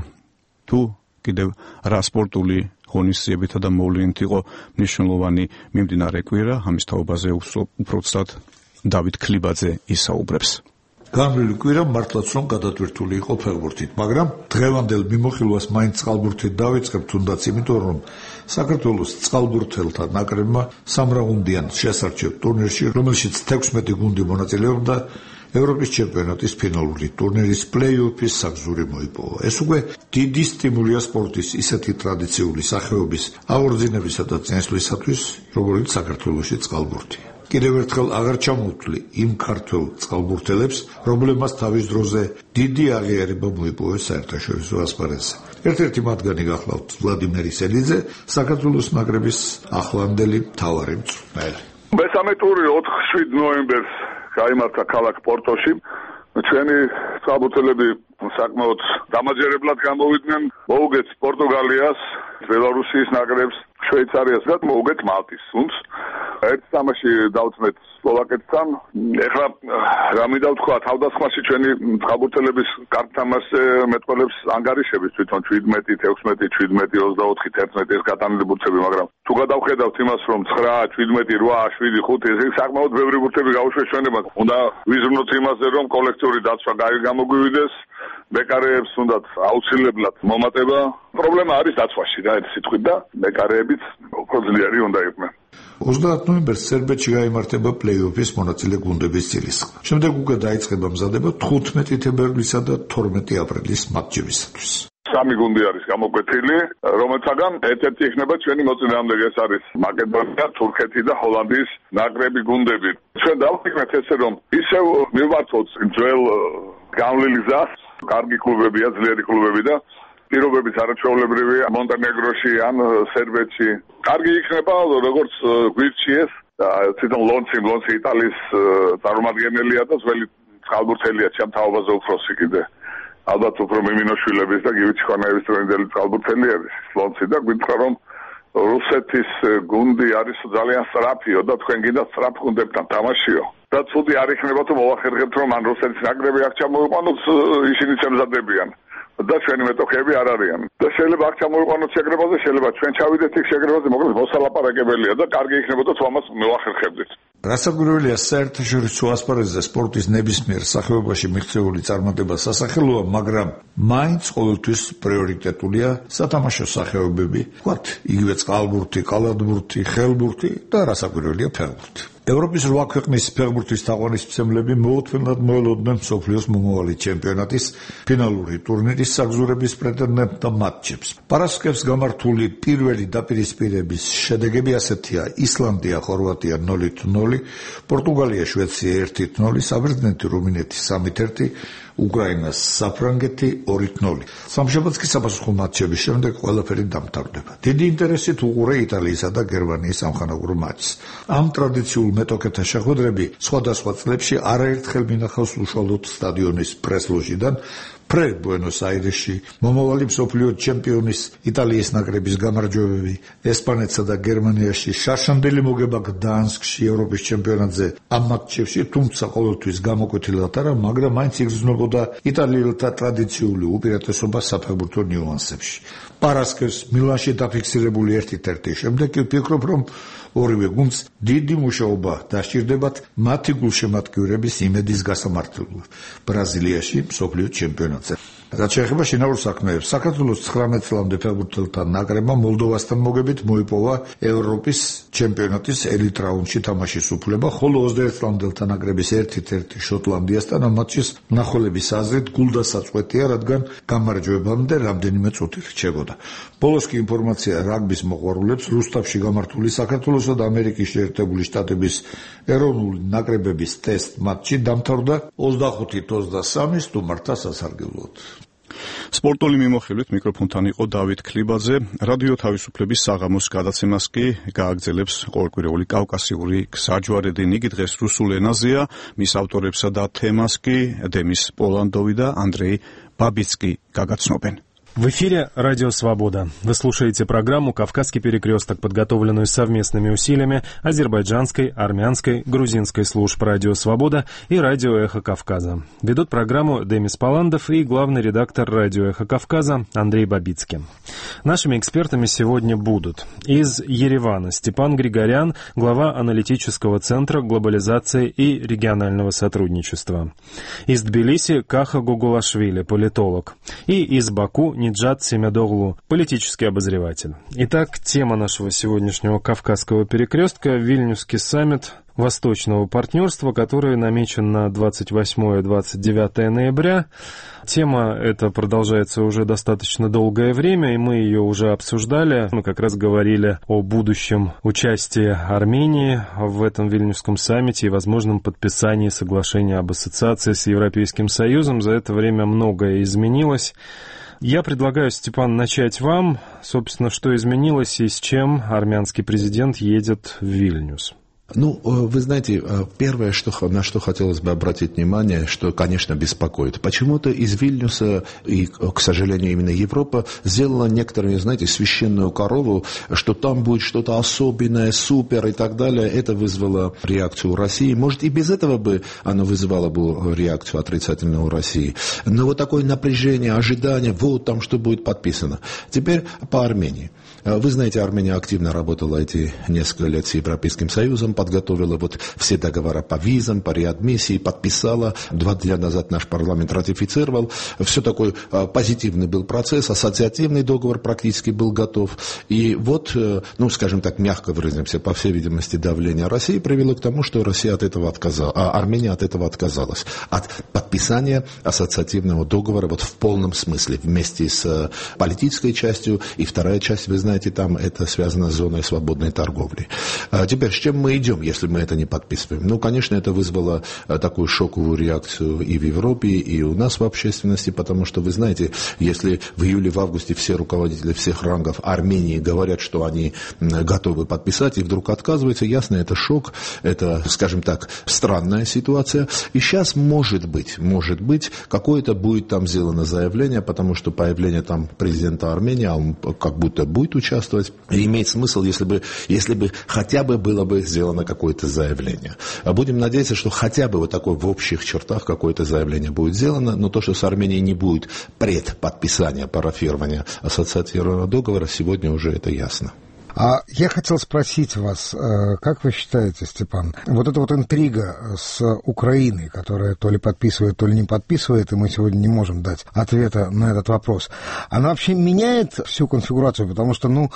თუ კიდევ რა სპორტული ღონისძიებითა და მოვლენით იყო მნიშვნელოვანი მიმდინარე კვირა, ამის თაობაზე უფრო ცუდად დავით ქლიბაძე ისაუბრებს. განვლილი კვირა მართლაც რომ გადატვირთული იყო ფეხბურთით, მაგრამ დღევანდელ მიმოხილვას მაინც წყალბურთით დავიწყებთ, თუნდაც იმიტომ, რომ საქართველოს წყალბურთელთა ნაკრებმა სამრაუნდიან შესარჩევ ტურნირში, რომელშიც თექვსმეტი გუნდი მონაწილეობდა ევროპის ჩემპიონატის ფინალური ტურნირის პლეი-ოფის საგზური მოიპოვა. ეს უკვე დიდი სტიმულია სპორტის ისეთი ტრადიციული სახეობის აღორძინებისა და წინსვლისათვის, როგორიც საქართველოში წყალბურთია. კიდევ ერთხელ აღარ ჩამოვთვლი იმ ქართველ წყალბურთელებს, რომლებმაც თავის დროზე დიდი აღიარება მოიპოვეს საერთაშორისო ასპარეზზე. ერთ-ერთი მათგანი გახლავთ ვლადიმერ ისელიძე, საქართველოს ნაკრების ახლანდელი მთავარი მწვრთნელი. მესამე ტური ოთხ შვიდ ნოემბერს გაიმართა ქალაქ პორტოში. ჩვენი წყალბურთელები საკმაოდ დამაჯერებლად გამოვიდნენ. მოუგეთ პორტუგალიას, ბელარუსის ნაკრებს, შვეიცარიას და მოუგეთ მალტის გუნდს. ერთ თამაში დავწმეთ სლოვაკეთთან. ეხლა რა მინდა ვთქვა, თავდასხმაში ჩვენი წყალბურთელების კარგ თამაშზე მეტყველებს ანგარიშების თვითონ შვიდმეტი, ექვსმეტი, შვიდმეტი, ოცდაოთხი, თერთმეტი ეს გატანილი ბურთები, მაგრამ თუ გადავხედავთ იმას, რომ ცხრა, შვიდმეტი, რვა, შვიდი, ხუთი, ეს საკმაოდ ბევრი ბურთები გავუშვეს ჩვენებად. უნდა ვიზრუნოთ იმაზე, რომ კოლექტიური დაცვა გამოგვივიდეს, მეკარეებს უნდათ აუცილებლად მომატება. პრობლემა არის დაცვაში და ერთ სიტყვით და მეკარეებიც უფრო ძლიერი უნდა იყვნენ. ოცდაათი ნოემბერს სერბეთში გაიმართება პლეი-ოფის მონაწილე გუნდების ძილისხმა. შემდეგ უკვე დაიწყება მზადება თხუთმეტი თებერვლისა და თორმეტი აპრილის მატჩებისათვის. სამი გუნდი არის გამოკვეთილი, რომელთაგან ერთ-ერთი იქნება ჩვენი მოწინააღმდეგე, ეს არის მაკედონია, თურქეთი და ჰოლანდიის ნაკრები გუნდები. ჩვენ დავფიქრეთ ესე, რომ ისევ მივმართოთ ძველ გავლილი გზას, კარგი კლუბებია, ძლიერი კლუბები და პირობებიც არაჩვეულებრივია მონტენეგროში ან სერბეთში. კარგი იქნება, როგორც გვირჩიეს, თვითონ ლონცი, ლონცი იტალიის წარმომადგენელია და ძველი წყალბურთელია ჩემ თაობაზე უფროსი კიდე. ალბათ უფრო მიმინოშვილების და გივი ჩხანაევის ტრენდელი წყალბურთელი არის ლონცი და გვითხარ რომ რუსეთის გუნდი არის ძალიან სწრაფიო და თქვენ გინდა სწრაფ გუნდებთან თამაშიო. და ცუდი არ იქნება თუ მოვახერხებთ რომ ან რუსეთის ნაკრები აქ ჩამოიყვანოთ, ისინი შემზადებიან. და ჩვენი მეტოქეები არ არიან. და შეიძლება აქ ჩამოიყვანოთ შეკრებაზე, შეიძლება ჩვენ ჩავიდეთ იქ შეკრებაზე, მოკლედ მოსალაპარაკებელია და კარგი იქნებოდა თუ ამას მევახერხებდით. რასაკვირველია, საერთაშორისო ასპარეზზე სპორტის ნებისმიერ სახეობაში მიღწეული წარმატება სასახელოა, მაგრამ მაინც ყოველთვის პრიორიტეტულია სათამაშო სახეობები, ვთქვათ, იგივე წყალბურთი, კალათბურთი, ხელბურთი და რასაკვირველია ფეხბურთი. ევროპის რვა ქვეყნის ფეხბურთის თაყვანისმცემლები მოუთმენლად მოელოდნენ მსოფლიოს მომავალი ჩემპიონატის ფინალური ტურნირის საგზურების პრეტენდენტთა მატჩებს. პარასკევს გამართული პირველი დაპირისპირების შედეგები ასეთია: ისლანდია, ხორვატია ნულით ნული, პორტუგალია, შვეიცარია ერთით ნული, საბერძნეთი, რუმინეთი სამით ერთი, უკრაინა, საფრანგეთი ორით ნული. სამშაბათს კი საფასუხო მატჩების შემდეგ ყველაფერი დამთავრდება. დიდი ინტერესით უყურე იტალიისა და გერმანიის სამხანაგურო მატჩს. ამ ტრადიციულ მეტოქეთა შეხვედრები სხვადასხვა წლებში არაერთხელ მინახავს უშუალოდ სტადიონის პრეს-ლოჟიდან, პრე ბუენოს-აირესში, მომავალი მსოფლიო ჩემპიონის იტალიის ნაკრების გამარჯვებები, ესპანეთსა და გერმანიაში, შარშანდელი მოგება გდანსკში ევროპის ჩემპიონატზე. ამ მატჩებში თუმცა ყოველთვის გამოკვეთილად არა, მაგრამ მაინც იგრძნობოდა იტალიელთა ტრადიციული უპირატესობა საფეხბურთო ნიუანსებში. პარასკევს მილანში დაფიქსირებული ერთით ერთი შემდეგ კი ვფიქრობ, რომ ორივე გუნდს დიდი მუშაობა დასჭირდებათ მათი გულშემატკივრების იმედის გასამართლებლად ბრაზილიაში მსოფლიო ჩემპიონატზე. რაც შეეხება შინაურ საქმეებს, საქართველოს ცხრამეტ წლამდე ფეხბურთელთა ნაკრებმა მოლდოვასთან მოგებით მოიპოვა ევროპის ჩემპიონატის ელიტ რაუნდში თამაშის უფლება, ხოლო ოცდაერთ წლამდელთა ნაკრების ერთით ერთი შოტლანდიასთან ამ მატჩის მნახველების აზრით გულდასაწყვეტია, რადგან გამარჯვებამდე რამდენიმე წუთი რჩებოდა. ბოლოს კი ინფორმაცია რაგბის მოყვარულებს რუსთავში გამართული საქართველოსა და ამერიკის შეერთებული შტატების ეროვნული ნაკრებების ტესტ მატჩი დამთავრდა ოცდახუთით ოცდასამი სტუმართა სასარგებლოდ. სპორტული მიმოხილვით მიკროფონთან იყო დავით ქლიბაძე. რადიო თავისუფლების საღამოს გადაცემას კი გააგრძელებს ყოველკვირეული კავკასიური გზაჯვარედი. იგი დღეს რუსულ ენაზეა. მის ავტორებსა და თემას კი დემის პოლანდოვი და ანდრეი ბაბიცკი გაგაცნობენ. В эфире «Радио Свобода». Вы слушаете программу «Кавказский перекресток», подготовленную совместными усилиями азербайджанской, армянской, грузинской служб «Радио Свобода» и «Радио Эхо Кавказа». Ведут программу Демис Поландов и главный редактор «Радио Эхо Кавказа» Андрей Бабицкий. Нашими экспертами сегодня будут из Еревана Степан Григорян, глава аналитического центра глобализации и регионального сотрудничества. Из Тбилиси Каха Гугулашвили, политолог. И из Баку Ниджат Семядоглу, политический обозреватель. Итак, тема нашего сегодняшнего Кавказского перекрестка — Вильнюсский саммит Восточного партнерства, который намечен на двадцать восьмое — двадцать девятое ноября. Тема эта продолжается уже достаточно долгое время, и мы ее уже обсуждали. Мы как раз говорили о будущем участии Армении в этом Вильнюсском саммите и возможном подписании соглашения об ассоциации с Европейским Союзом. За это время многое изменилось. Я предлагаю, Степан, начать вам. Собственно, что изменилось и с чем армянский президент едет в Вильнюс? Ну, вы знаете, первое, что, на что хотелось бы обратить внимание, что, конечно, беспокоит. Почему-то из Вильнюса, и, к сожалению, именно Европа, сделала некоторые, знаете, священную корову, что там будет что-то особенное, супер и так далее. Это вызвало реакцию России. Может, и без этого бы оно вызывало бы реакцию отрицательную у России. Но вот такое напряжение, ожидание, вот там что будет подписано. Теперь по Армении. Вы знаете, Армения активно работала эти несколько лет с Европейским Союзом, подготовила вот все договора по визам, по реадмиссии, подписала. Два дня назад наш парламент ратифицировал. Все такой позитивный был процесс, ассоциативный договор практически был готов. И вот, ну, скажем так, мягко выразимся, по всей видимости, давление России привело к тому, что Россия от этого отказалась, а Армения от этого отказалась. От подписания ассоциативного договора вот в полном смысле, вместе с политической частью. И вторая часть, вы знаете, Знаете, там это связано с зоной свободной торговли. А теперь, с чем мы идем, если мы это не подписываем? Ну, конечно, это вызвало такую шоковую реакцию и в Европе, и у нас в общественности, потому что, вы знаете, если в июле, в августе все руководители всех рангов Армении говорят, что они готовы подписать, и вдруг отказываются, ясно, это шок, это, скажем так, странная ситуация. И сейчас, может быть, может быть, какое-то будет там сделано заявление, потому что появление там президента Армении, а он как будто будет участвовать, и имеет смысл, если бы, если бы хотя бы было бы сделано какое-то заявление. Будем надеяться, что хотя бы вот такое в общих чертах какое-то заявление будет сделано, но то, что с Арменией не будет предподписания, парафирования ассоциативного договора, сегодня уже это ясно. А я хотел спросить вас, как вы считаете, Степан, вот эта вот интрига с Украиной, которая то ли подписывает, то ли не подписывает, и мы сегодня не можем дать ответа на этот вопрос, она вообще меняет всю конфигурацию? Потому что, ну,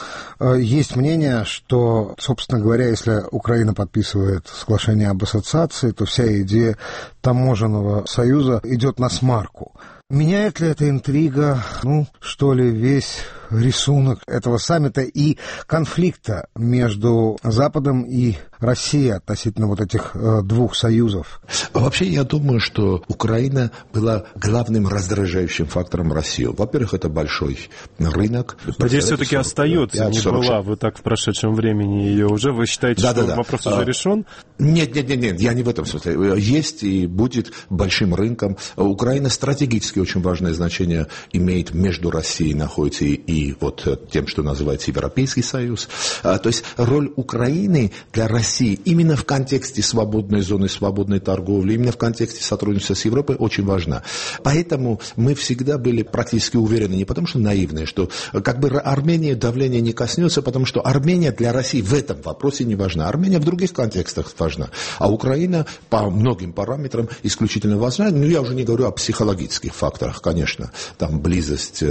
есть мнение, что, собственно говоря, если Украина подписывает соглашение об ассоциации, то вся идея таможенного союза идет на смарку. Меняет ли эта интрига, ну, что ли, весь рисунок этого саммита и конфликта между Западом и Россией относительно вот этих э, двух союзов? Вообще, я думаю, что Украина была главным раздражающим фактором России. Во-первых, это большой рынок. Надеюсь, все-таки остается, не была. Вы так в прошедшем времени ее уже. Вы считаете, да, что да, да. вопрос уже а, решен? Нет, нет, нет, нет, я не в этом смысле. Есть и будет большим рынком. Украина стратегически очень важное значение имеет между Россией находится и, и вот тем, что называется Европейский Союз. А, то есть роль Украины для России именно в контексте свободной зоны, свободной торговли, именно в контексте сотрудничества с Европой очень важна. Поэтому мы всегда были практически уверены, не потому что наивные, что как бы Армении давление не коснется, потому что Армения для России в этом вопросе не важна. Армения в других контекстах важна. А Украина по многим параметрам исключительно важна. Ну, я уже не говорю о психологических факторах, конечно. Там близость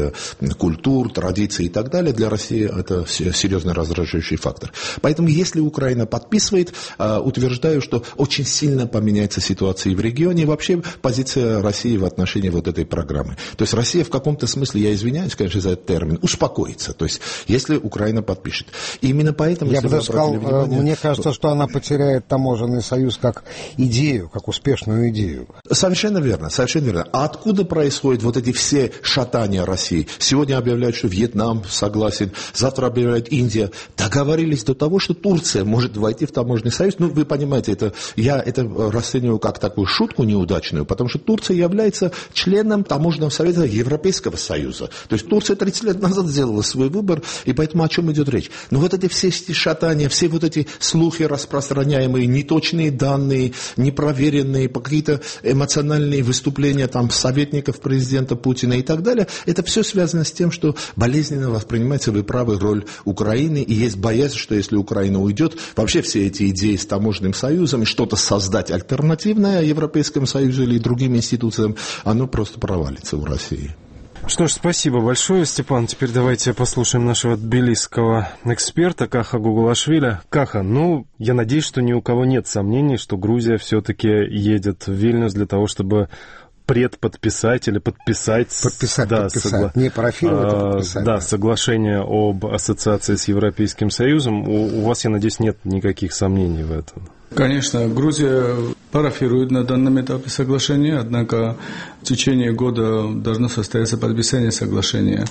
культур, традиций и так далее. Для России это серьезный раздражающий фактор. Поэтому если Украина подписывает, утверждаю, что очень сильно поменяется ситуация и в регионе, и вообще позиция России в отношении вот этой программы. То есть Россия в каком-то смысле, я извиняюсь, конечно, за этот термин, успокоится. То есть если Украина подпишет. И именно поэтому... Я бы даже сказал, внимание, мне кажется, что она потеряет таможенный союз как идею, как успешную идею. Совершенно верно, совершенно верно. А откуда происходят вот эти все шатания России? Сегодня объявляют, что Вьетнам согласен, завтра объявляет Индия. Договорились до того, что Турция может войти в таможенный союз. Ну, вы понимаете, это, я это расцениваю как такую шутку неудачную, потому что Турция является членом таможенного совета Европейского Союза. То есть Турция тридцать лет назад сделала свой выбор, и поэтому о чем идет речь? Но вот эти все шатания, все вот эти слухи распространяемые, неточные данные, непроверенные, какие-то эмоциональные выступления там советников президента Путина и так далее, это все связано с тем, что болезненно воспринимается, вы правы, роль Украины, и есть боязнь, что если Украина уйдет, вообще все эти идеи с таможенным союзом и что-то создать альтернативное Европейскому Союзу или другим институциям, оно просто провалится в России. Что ж, спасибо большое, Степан. Теперь давайте послушаем нашего тбилисского эксперта Каха Гугулашвили. Каха, ну, я надеюсь, что ни у кого нет сомнений, что Грузия все-таки едет в Вильнюс для того, чтобы предподписать или подписать... Подписать, да, подписать. Согла... Не парафировать, а подписать. Да, да, соглашение об ассоциации с Европейским Союзом. У, у вас, я надеюсь, нет никаких сомнений в этом? Конечно, Грузия парафируют на данном этапе соглашение, однако в течение года должно состояться подписание соглашения.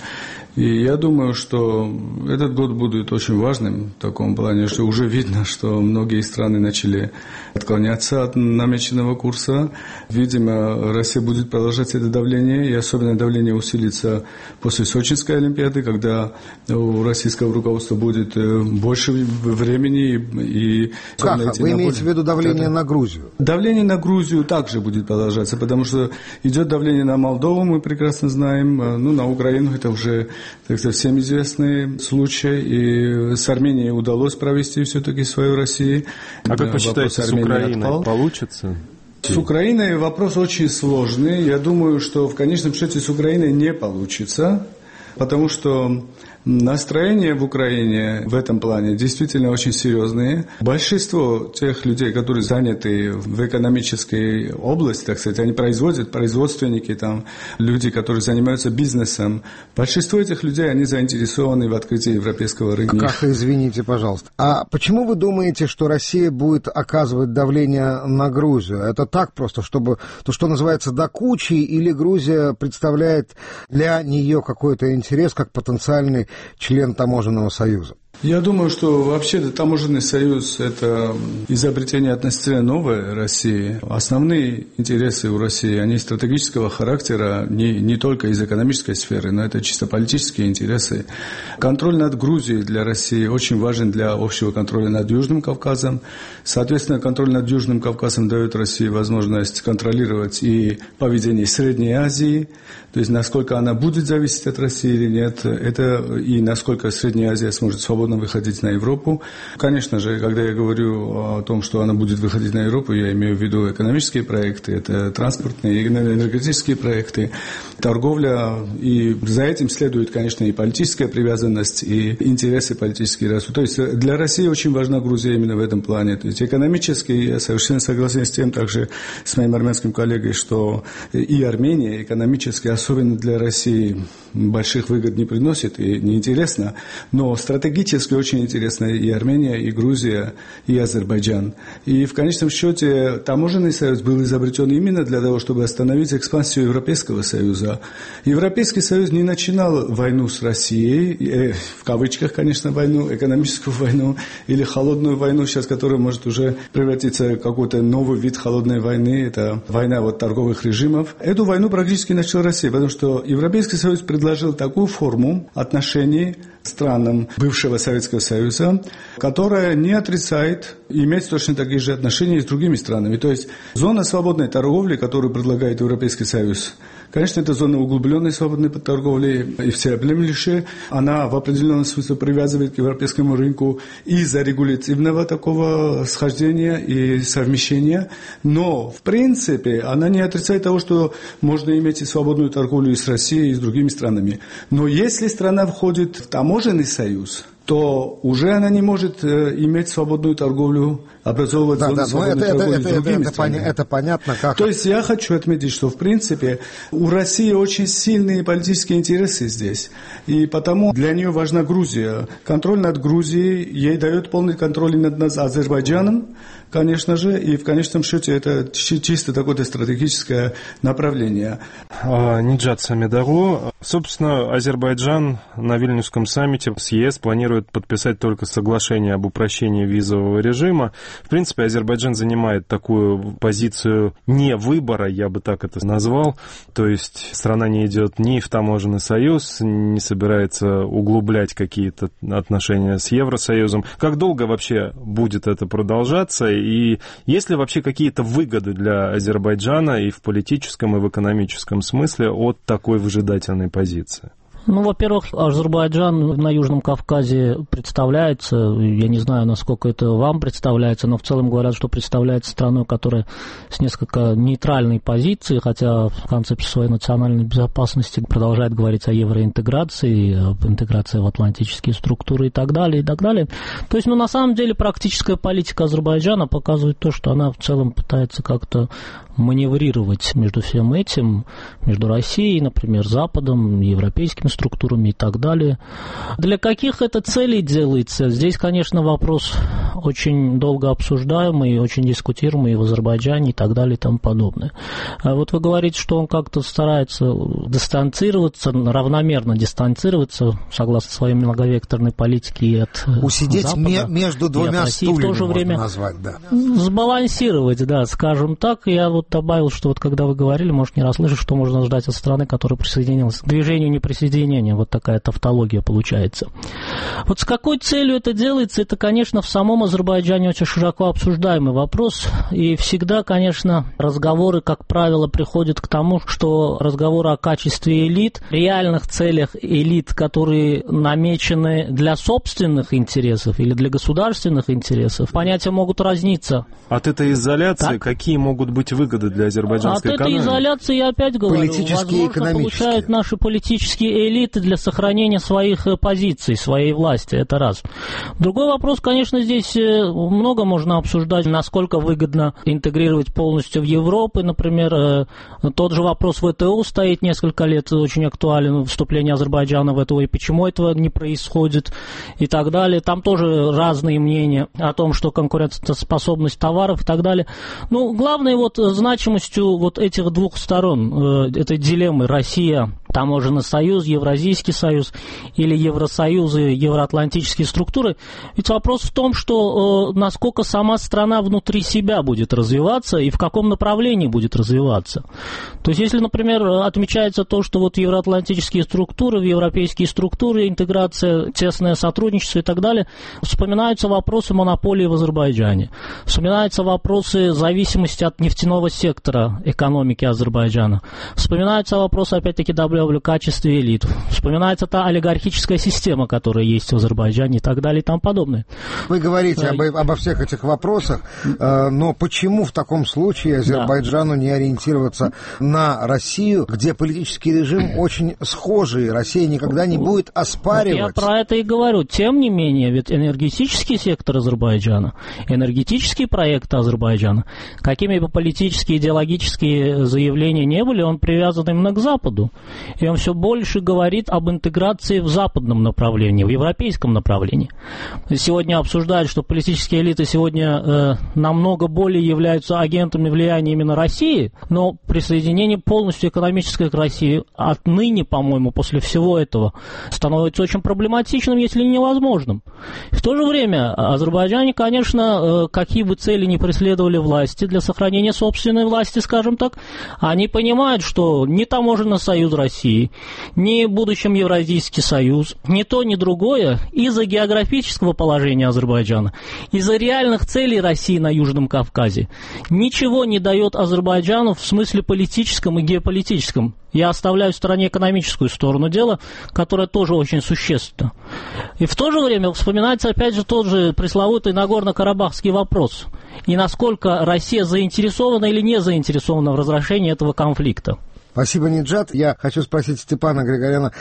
И я думаю, что этот год будет очень важным в таком плане, что уже видно, что многие страны начали отклоняться от намеченного курса. Видимо, Россия будет продолжать это давление, и особенно давление усилится после Сочинской Олимпиады, когда у российского руководства будет больше времени. И как? Вы имеете в виду давление на Грузию? Давление на Грузию также будет продолжаться, потому что идет давление на Молдову, мы прекрасно знаем, ну, на Украину это уже, так сказать, всем известный случай, и с Арменией удалось провести все-таки свою Россию. А как вы считаете, с Украиной отпал? Получится? С Украиной вопрос очень сложный. Я думаю, что в конечном счете с Украиной не получится, потому что настроения в Украине в этом плане действительно очень серьезные. Большинство тех людей, которые заняты в экономической области, так сказать, они производят, производственники, там, люди, которые занимаются бизнесом, большинство этих людей, они заинтересованы в открытии европейского рынка. Каха, извините, пожалуйста. А почему вы думаете, что Россия будет оказывать давление на Грузию? Это так просто, чтобы то, что называется, до кучи, или Грузия представляет для нее какой-то интерес как потенциальный член таможенного союза? Я думаю, что вообще таможенный союз – это изобретение относительно новой России. Основные интересы у России, они стратегического характера, не, не только из экономической сферы, но это чисто политические интересы. Контроль над Грузией для России очень важен для общего контроля над Южным Кавказом. Соответственно, контроль над Южным Кавказом дает России возможность контролировать и поведение Средней Азии, то есть насколько она будет зависеть от России или нет, это и насколько Средняя Азия сможет свободно выходить на Европу. Конечно же, когда я говорю о том, что она будет выходить на Европу, я имею в виду экономические проекты, это транспортные, энергетические проекты, торговля, и за этим следует, конечно, и политическая привязанность, и интересы политические растут. То есть для России очень важна Грузия именно в этом плане. То есть экономически я совершенно согласен с тем, также с моим армянским коллегой, что и Армения экономически, особенно для России, больших выгод не приносит и неинтересно, но стратегически очень интересно и Армения, и Грузия, и Азербайджан. И в конечном счете таможенный союз был изобретен именно для того, чтобы остановить экспансию Европейского союза. Европейский союз не начинал войну с Россией, э, в кавычках, конечно, войну, экономическую войну или холодную войну, сейчас которая может уже превратиться в какой-то новый вид холодной войны, это война вот торговых режимов. Эту войну практически начала Россия, потому что Европейский союз предложил такую форму отношений странам бывшего Советского Союза, которая не отрицает иметь точно такие же отношения с другими странами. То есть зона свободной торговли, которую предлагает Европейский Союз, конечно, это зона углубленной свободной торговли и всеобъемлющая. Она в определенном смысле привязывает к европейскому рынку из-за регулятивного такого схождения и совмещения. Но, в принципе, она не отрицает того, что можно иметь и свободную торговлю и с Россией, и с другими странами. Но если страна входит в таможенный союз, то уже она не может э, иметь свободную торговлю, образовывать да, зону да, свободной это, торговли это, с другими это, странами. Это, это понятно, как... То есть я хочу отметить, что в принципе у России очень сильные политические интересы здесь, и потому для нее важна Грузия. Контроль над Грузией ей дает полный контроль над, над Азербайджаном, конечно же, и в конечном счете это чисто такое стратегическое направление. Ниджат Самедару. Собственно, Азербайджан на Вильнюсском саммите с ЕС планирует подписать только соглашение об упрощении визового режима. В принципе, Азербайджан занимает такую позицию не выбора, я бы так это назвал. То есть страна не идет ни в таможенный союз, не собирается углублять какие-то отношения с Евросоюзом. Как долго вообще будет это продолжаться? И есть ли вообще какие-то выгоды для Азербайджана и в политическом, и в экономическом смысле от такой выжидательной позиции? Ну, во-первых, Азербайджан на Южном Кавказе представляется, я не знаю, насколько это вам представляется, но в целом говорят, что представляется страной, которая с несколько нейтральной позицией, хотя в концепции своей национальной безопасности продолжает говорить о евроинтеграции, об интеграции в атлантические структуры и так далее, и так далее. То есть, ну, на самом деле, практическая политика Азербайджана показывает то, что она в целом пытается как-то маневрировать между всем этим, между Россией, например, Западом, европейскими структурами и так далее. Для каких это целей делается? Здесь, конечно, вопрос очень долго обсуждаемый, очень дискутируемый в Азербайджане и так далее и тому подобное. А вот вы говорите, что он как-то старается дистанцироваться, равномерно дистанцироваться, согласно своей многовекторной политике и от Усидеть Запада, между двумя стульями, в то же время назвать, да. Сбалансировать, да, скажем так. Я вот добавил, что вот когда вы говорили, может, не расслышать, что можно ждать от страны, которая присоединилась к движению неприсоединения. Вот такая тавтология получается. Вот с какой целью это делается, это, конечно, в самом Азербайджане очень широко обсуждаемый вопрос. И всегда, конечно, разговоры, как правило, приходят к тому, что разговоры о качестве элит, реальных целях элит, которые намечены для собственных интересов или для государственных интересов, понятия могут разниться. От этой изоляции так? какие могут быть выгоды для азербайджанской От экономики? этой изоляции, я опять говорю, политические и возможно, получают наши политические элиты для сохранения своих позиций, своей власти. Это раз. Другой вопрос, конечно, здесь много можно обсуждать, насколько выгодно интегрировать полностью в Европу. Например, тот же вопрос в ВТО стоит несколько лет, очень актуален, вступление Азербайджана в ВТО, и почему этого не происходит, и так далее. Там тоже разные мнения о том, что конкурентоспособность товаров и так далее. Ну, главное, вот значимостью вот этих двух сторон, э, этой дилеммы Россия, таможенный союз, Евразийский союз или Евросоюз и евроатлантические структуры. Ведь вопрос в том, что э, насколько сама страна внутри себя будет развиваться и в каком направлении будет развиваться. То есть, если, например, отмечается то, что вот евроатлантические структуры, в европейские структуры, интеграция, тесное сотрудничество и так далее, вспоминаются вопросы монополии в Азербайджане, вспоминаются вопросы зависимости от нефтяного сектора экономики Азербайджана, вспоминаются вопросы, опять-таки, в качестве элит. Вспоминается та олигархическая система, которая есть в Азербайджане и так далее и тому подобное. Вы говорите об, обо всех этих вопросах, э, но почему в таком случае Азербайджану да. не ориентироваться на Россию, где политический режим очень схожий, Россия никогда не будет оспаривать? Вот я про это и говорю. Тем не менее, ведь энергетический сектор Азербайджана, энергетические проекты Азербайджана, какими бы политические, идеологические заявления не были, он привязан именно к Западу. И он все больше говорит об интеграции в западном направлении, в европейском направлении. Сегодня обсуждают, что политические элиты сегодня э, намного более являются агентами влияния именно России, но присоединение полностью экономическое к России отныне, по-моему, после всего этого, становится очень проблематичным, если не невозможным. В то же время Азербайджане, конечно, э, какие бы цели ни преследовали власти для сохранения собственной власти, скажем так, они понимают, что ни таможенный союз России, ни в будущем Евразийский союз, ни то, ни другое из-за географического положения Азербайджана, из-за реальных целей России на Южном Кавказе ничего не дает Азербайджану в смысле политическом и геополитическом. Я оставляю в стороне экономическую сторону дела, которая тоже очень существенна. И в то же время вспоминается опять же тот же пресловутый Нагорно-Карабахский вопрос. И насколько Россия заинтересована или не заинтересована в разрешении этого конфликта. Спасибо, Ниджат. Я хочу спросить Степана Григоряна.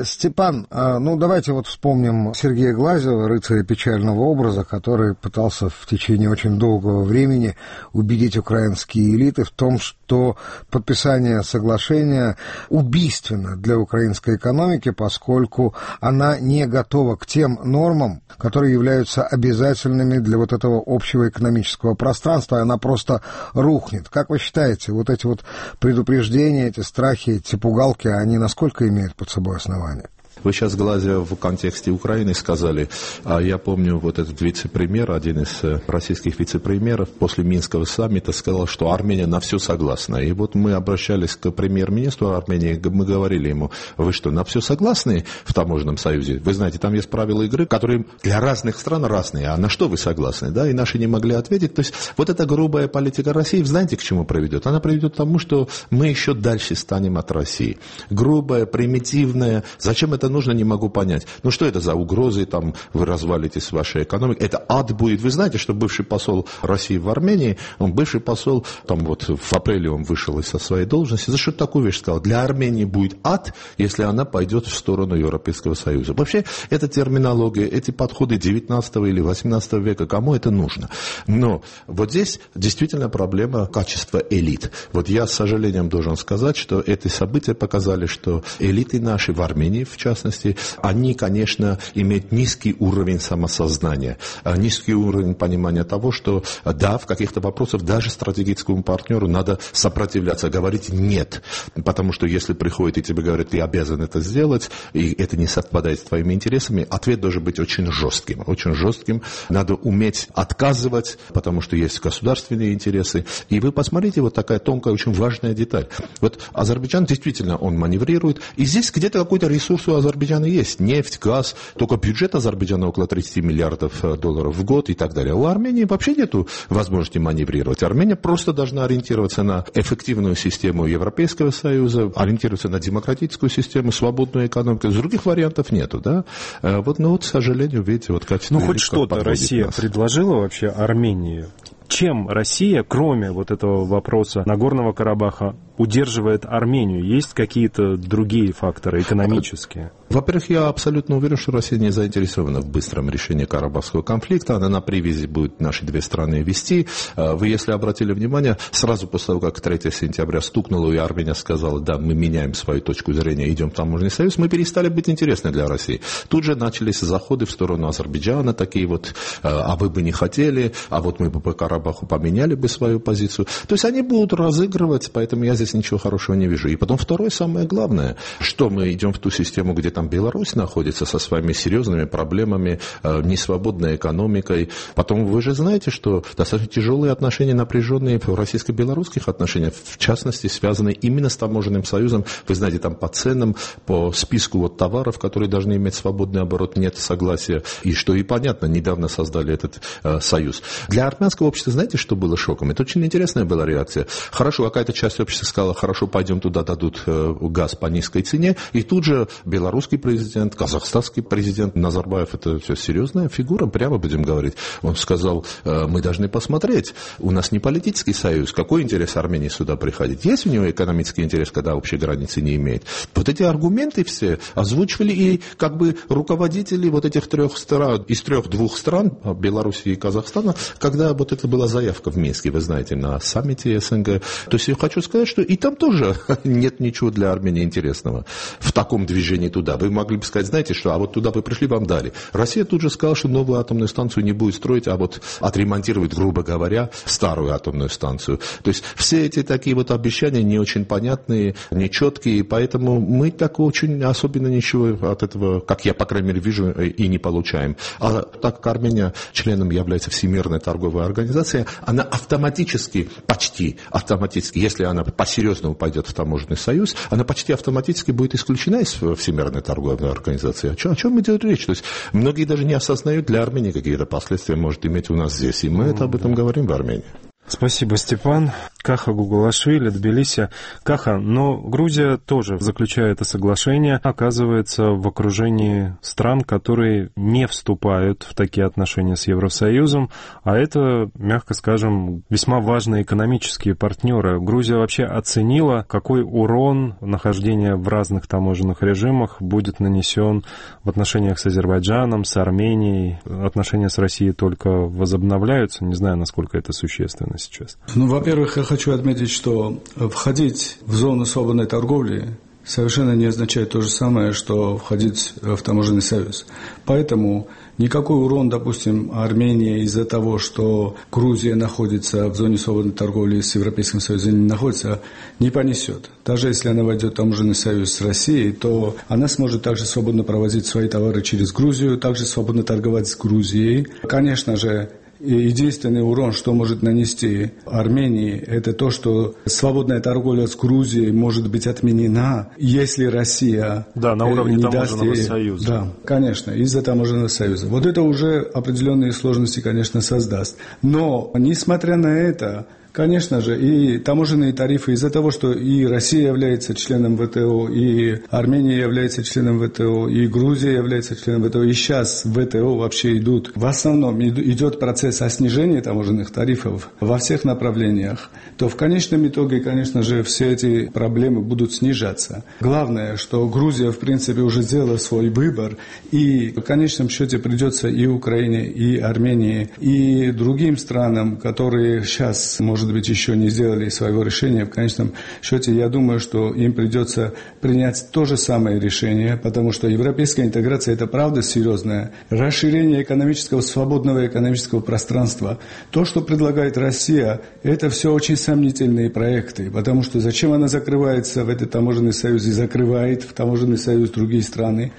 Степан, ну давайте вот вспомним Сергея Глазева, рыцаря печального образа, который пытался в течение очень долгого времени убедить украинские элиты в том, что подписание соглашения убийственно для украинской экономики, поскольку она не готова к тем нормам, которые являются обязательными для вот этого общего экономического пространства, она просто рухнет. Как вы считаете, вот эти вот предупреждения, эти страхи, эти пугалки, они насколько имеют под собой основания? Вы сейчас, глазя в контексте Украины, сказали, а я помню, вот этот вице-премьер, один из российских вице-премьеров после Минского саммита сказал, что Армения на все согласна. И вот мы обращались к премьер-министру Армении, мы говорили ему, вы что, на все согласны в таможенном союзе? Вы знаете, там есть правила игры, которые для разных стран разные, а на что вы согласны? Да? И наши не могли ответить. То есть вот эта грубая политика России, знаете, к чему приведет? Она приведет к тому, что мы еще дальше станем от России. Грубая, примитивная. Зачем это нужно, не могу понять. Ну что это за угрозы, там вы развалитесь вашей экономикой, это ад будет. Вы знаете, что бывший посол России в Армении, он бывший посол, там вот в апреле он вышел со своей должности, за что такую вещь сказал? Для Армении будет ад, если она пойдет в сторону Европейского Союза. Вообще, эта терминология, эти подходы девятнадцатого или восемнадцатого века, кому это нужно? Но вот здесь действительно проблема качества элит. Вот я с сожалением должен сказать, что эти события показали, что элиты наши в Армении, в частности, частности, они, конечно, имеют низкий уровень самосознания, низкий уровень понимания того, что, да, в каких-то вопросах даже стратегическому партнеру надо сопротивляться, говорить «нет», потому что если приходит и тебе говорят, ты обязан это сделать, и это не совпадает с твоими интересами, ответ должен быть очень жестким, очень жестким, надо уметь отказывать, потому что есть государственные интересы, и вы посмотрите, вот такая тонкая, очень важная деталь. Вот Азербайджан действительно, он маневрирует, и здесь где-то какой-то ресурс у Азербайджана есть, нефть, газ, только бюджет Азербайджана около тридцать миллиардов долларов в год и так далее. У Армении вообще нет возможности маневрировать. Армения просто должна ориентироваться на эффективную систему Европейского Союза, ориентироваться на демократическую систему, свободную экономику. Других вариантов нету, да? Вот, ну вот, к сожалению, видите, вот как... Ну, хоть что-то Россия нас. предложила вообще Армении? Чем Россия, кроме вот этого вопроса Нагорного Карабаха, удерживает Армению? Есть какие-то другие факторы экономические? Во-первых, я абсолютно уверен, что Россия не заинтересована в быстром решении Карабахского конфликта. Она на привязи будет наши две страны вести. Вы, если обратили внимание, сразу после того, как третьего сентября стукнуло, и Армения сказала, да, мы меняем свою точку зрения, идем в таможенный союз, мы перестали быть интересны для России. Тут же начались заходы в сторону Азербайджана, такие вот, а вы бы не хотели, а вот мы бы по Карабаху поменяли бы свою позицию. То есть они будут разыгрывать, поэтому я здесь ничего хорошего не вижу. И потом второе, самое главное, что мы идем в ту систему, где там Беларусь находится со своими серьезными проблемами, э, несвободной экономикой. Потом вы же знаете, что достаточно тяжелые отношения, напряженные в российско-белорусских отношениях, в частности, связаны именно с таможенным союзом. Вы знаете, там по ценам, по списку вот товаров, которые должны иметь свободный оборот, нет согласия. И что и понятно, недавно создали этот э, союз. Для армянского общества, знаете, что было шоком? Это очень интересная была реакция. Хорошо, какая-то часть общества сказала, хорошо, пойдем туда, дадут э, газ по низкой цене. И тут же белорусский президент, казахстанский президент Назарбаев, это все серьезная фигура, прямо будем говорить. Он сказал, мы должны посмотреть, у нас не политический союз, какой интерес Армении сюда приходить? Есть у него экономический интерес, когда общей границы не имеет? Вот эти аргументы все озвучивали и как бы руководители вот этих трех стран, из трех-двух стран, Беларуси и Казахстана, когда вот это была заявка в Минске, вы знаете, на саммите СНГ. То есть я хочу сказать, что и там тоже нет ничего для Армении интересного в таком движении туда. Вы могли бы сказать, знаете что, а вот туда вы пришли, вам дали. Россия тут же сказала, что новую атомную станцию не будет строить, а вот отремонтировать, грубо говоря, старую атомную станцию. То есть все эти такие вот обещания не очень понятные, нечеткие, поэтому мы так очень особенно ничего от этого, как я, по крайней мере, вижу, и не получаем. А так как Армения членом является Всемирной торговой организацией, она автоматически, почти автоматически, если она по-серьезному пойдет в таможенный союз, она почти автоматически будет исключена из Всемирной торговой организации. О чем, о чем идет речь? То есть многие даже не осознают, для Армении какие-то последствия может иметь у нас здесь. И мы mm-hmm. это об этом говорим в Армении. Спасибо, Степан. Каха Гугулашвили, Тбилиси. Каха, но Грузия тоже, заключая это соглашение, оказывается в окружении стран, которые не вступают в такие отношения с Евросоюзом, а это, мягко скажем, весьма важные экономические партнеры. Грузия вообще оценила, какой урон нахождения в разных таможенных режимах будет нанесен в отношениях с Азербайджаном, с Арменией. Отношения с Россией только возобновляются, не знаю, насколько это существенно сейчас. Ну, во-первых, я хочу отметить, что входить в зону свободной торговли совершенно не означает то же самое, что входить в таможенный союз. Поэтому никакой урон, допустим, Армении из-за того, что Грузия находится в зоне свободной торговли с Европейским Союзом, не находится, не понесет. Даже если она войдет в таможенный союз с Россией, то она сможет также свободно провозить свои товары через Грузию, также свободно торговать с Грузией. Конечно же, и единственный урон, что может нанести Армении, это то, что свободная торговля с Грузией может быть отменена, если Россия да, на уровне не таможенного даст ей... союза. Да, конечно, из-за таможенного союза. Вот это уже определенные сложности, конечно, создаст. Но, несмотря на это, конечно же, и таможенные тарифы из-за того, что и Россия является членом ВТО, и Армения является членом ВТО, и Грузия является членом ВТО, и сейчас в ВТО вообще идут, в основном идет процесс о снижении таможенных тарифов во всех направлениях, то в конечном итоге, конечно же, все эти проблемы будут снижаться. Главное, что Грузия, в принципе, уже сделала свой выбор, и в конечном счете придется и Украине, и Армении, и другим странам, которые сейчас, может может быть, еще не сделали своего решения, в конечном счете, я думаю, что им придется принять то же самое решение, потому что европейская интеграция – это правда серьезное. Расширение экономического, свободного экономического пространства. То, что предлагает Россия, это все очень сомнительные проекты, потому что зачем она закрывается в этот таможенный союз и закрывает в таможенный союз другие страны?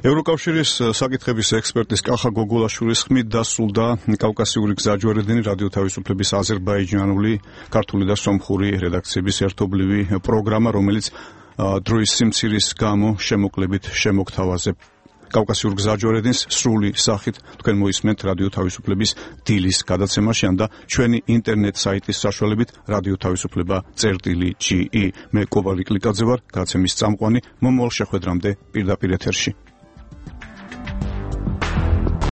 ევროკავშირის საკითხების ექსპერტის კახა გოგოლაშვილის ხმით დასრულდა კავკასიური გზაჯვარედინი რადიო თავისუფლების აზერბაიჯანული, ქართული და სომხური რედაქციების ერთობლივი პროგრამა, რომელიც დროის სიმცირის გამო შემოკლებით შემოგთავაზებ. კავკასიურ გზაჯვარედინს სრული სახით თქვენ მოისმენთ რადიო თავისუფლების დილის გადაცემაში და ჩვენი ინტერნეტ საიტის საშუალებით რადიო თავისუფლება წერტილი ჯი ი. მე კოვალი კლიკაძე ვარ, გადაცემის წამყვანი. მომავალ შეხვედრამდე პირდაპირ ეთერში.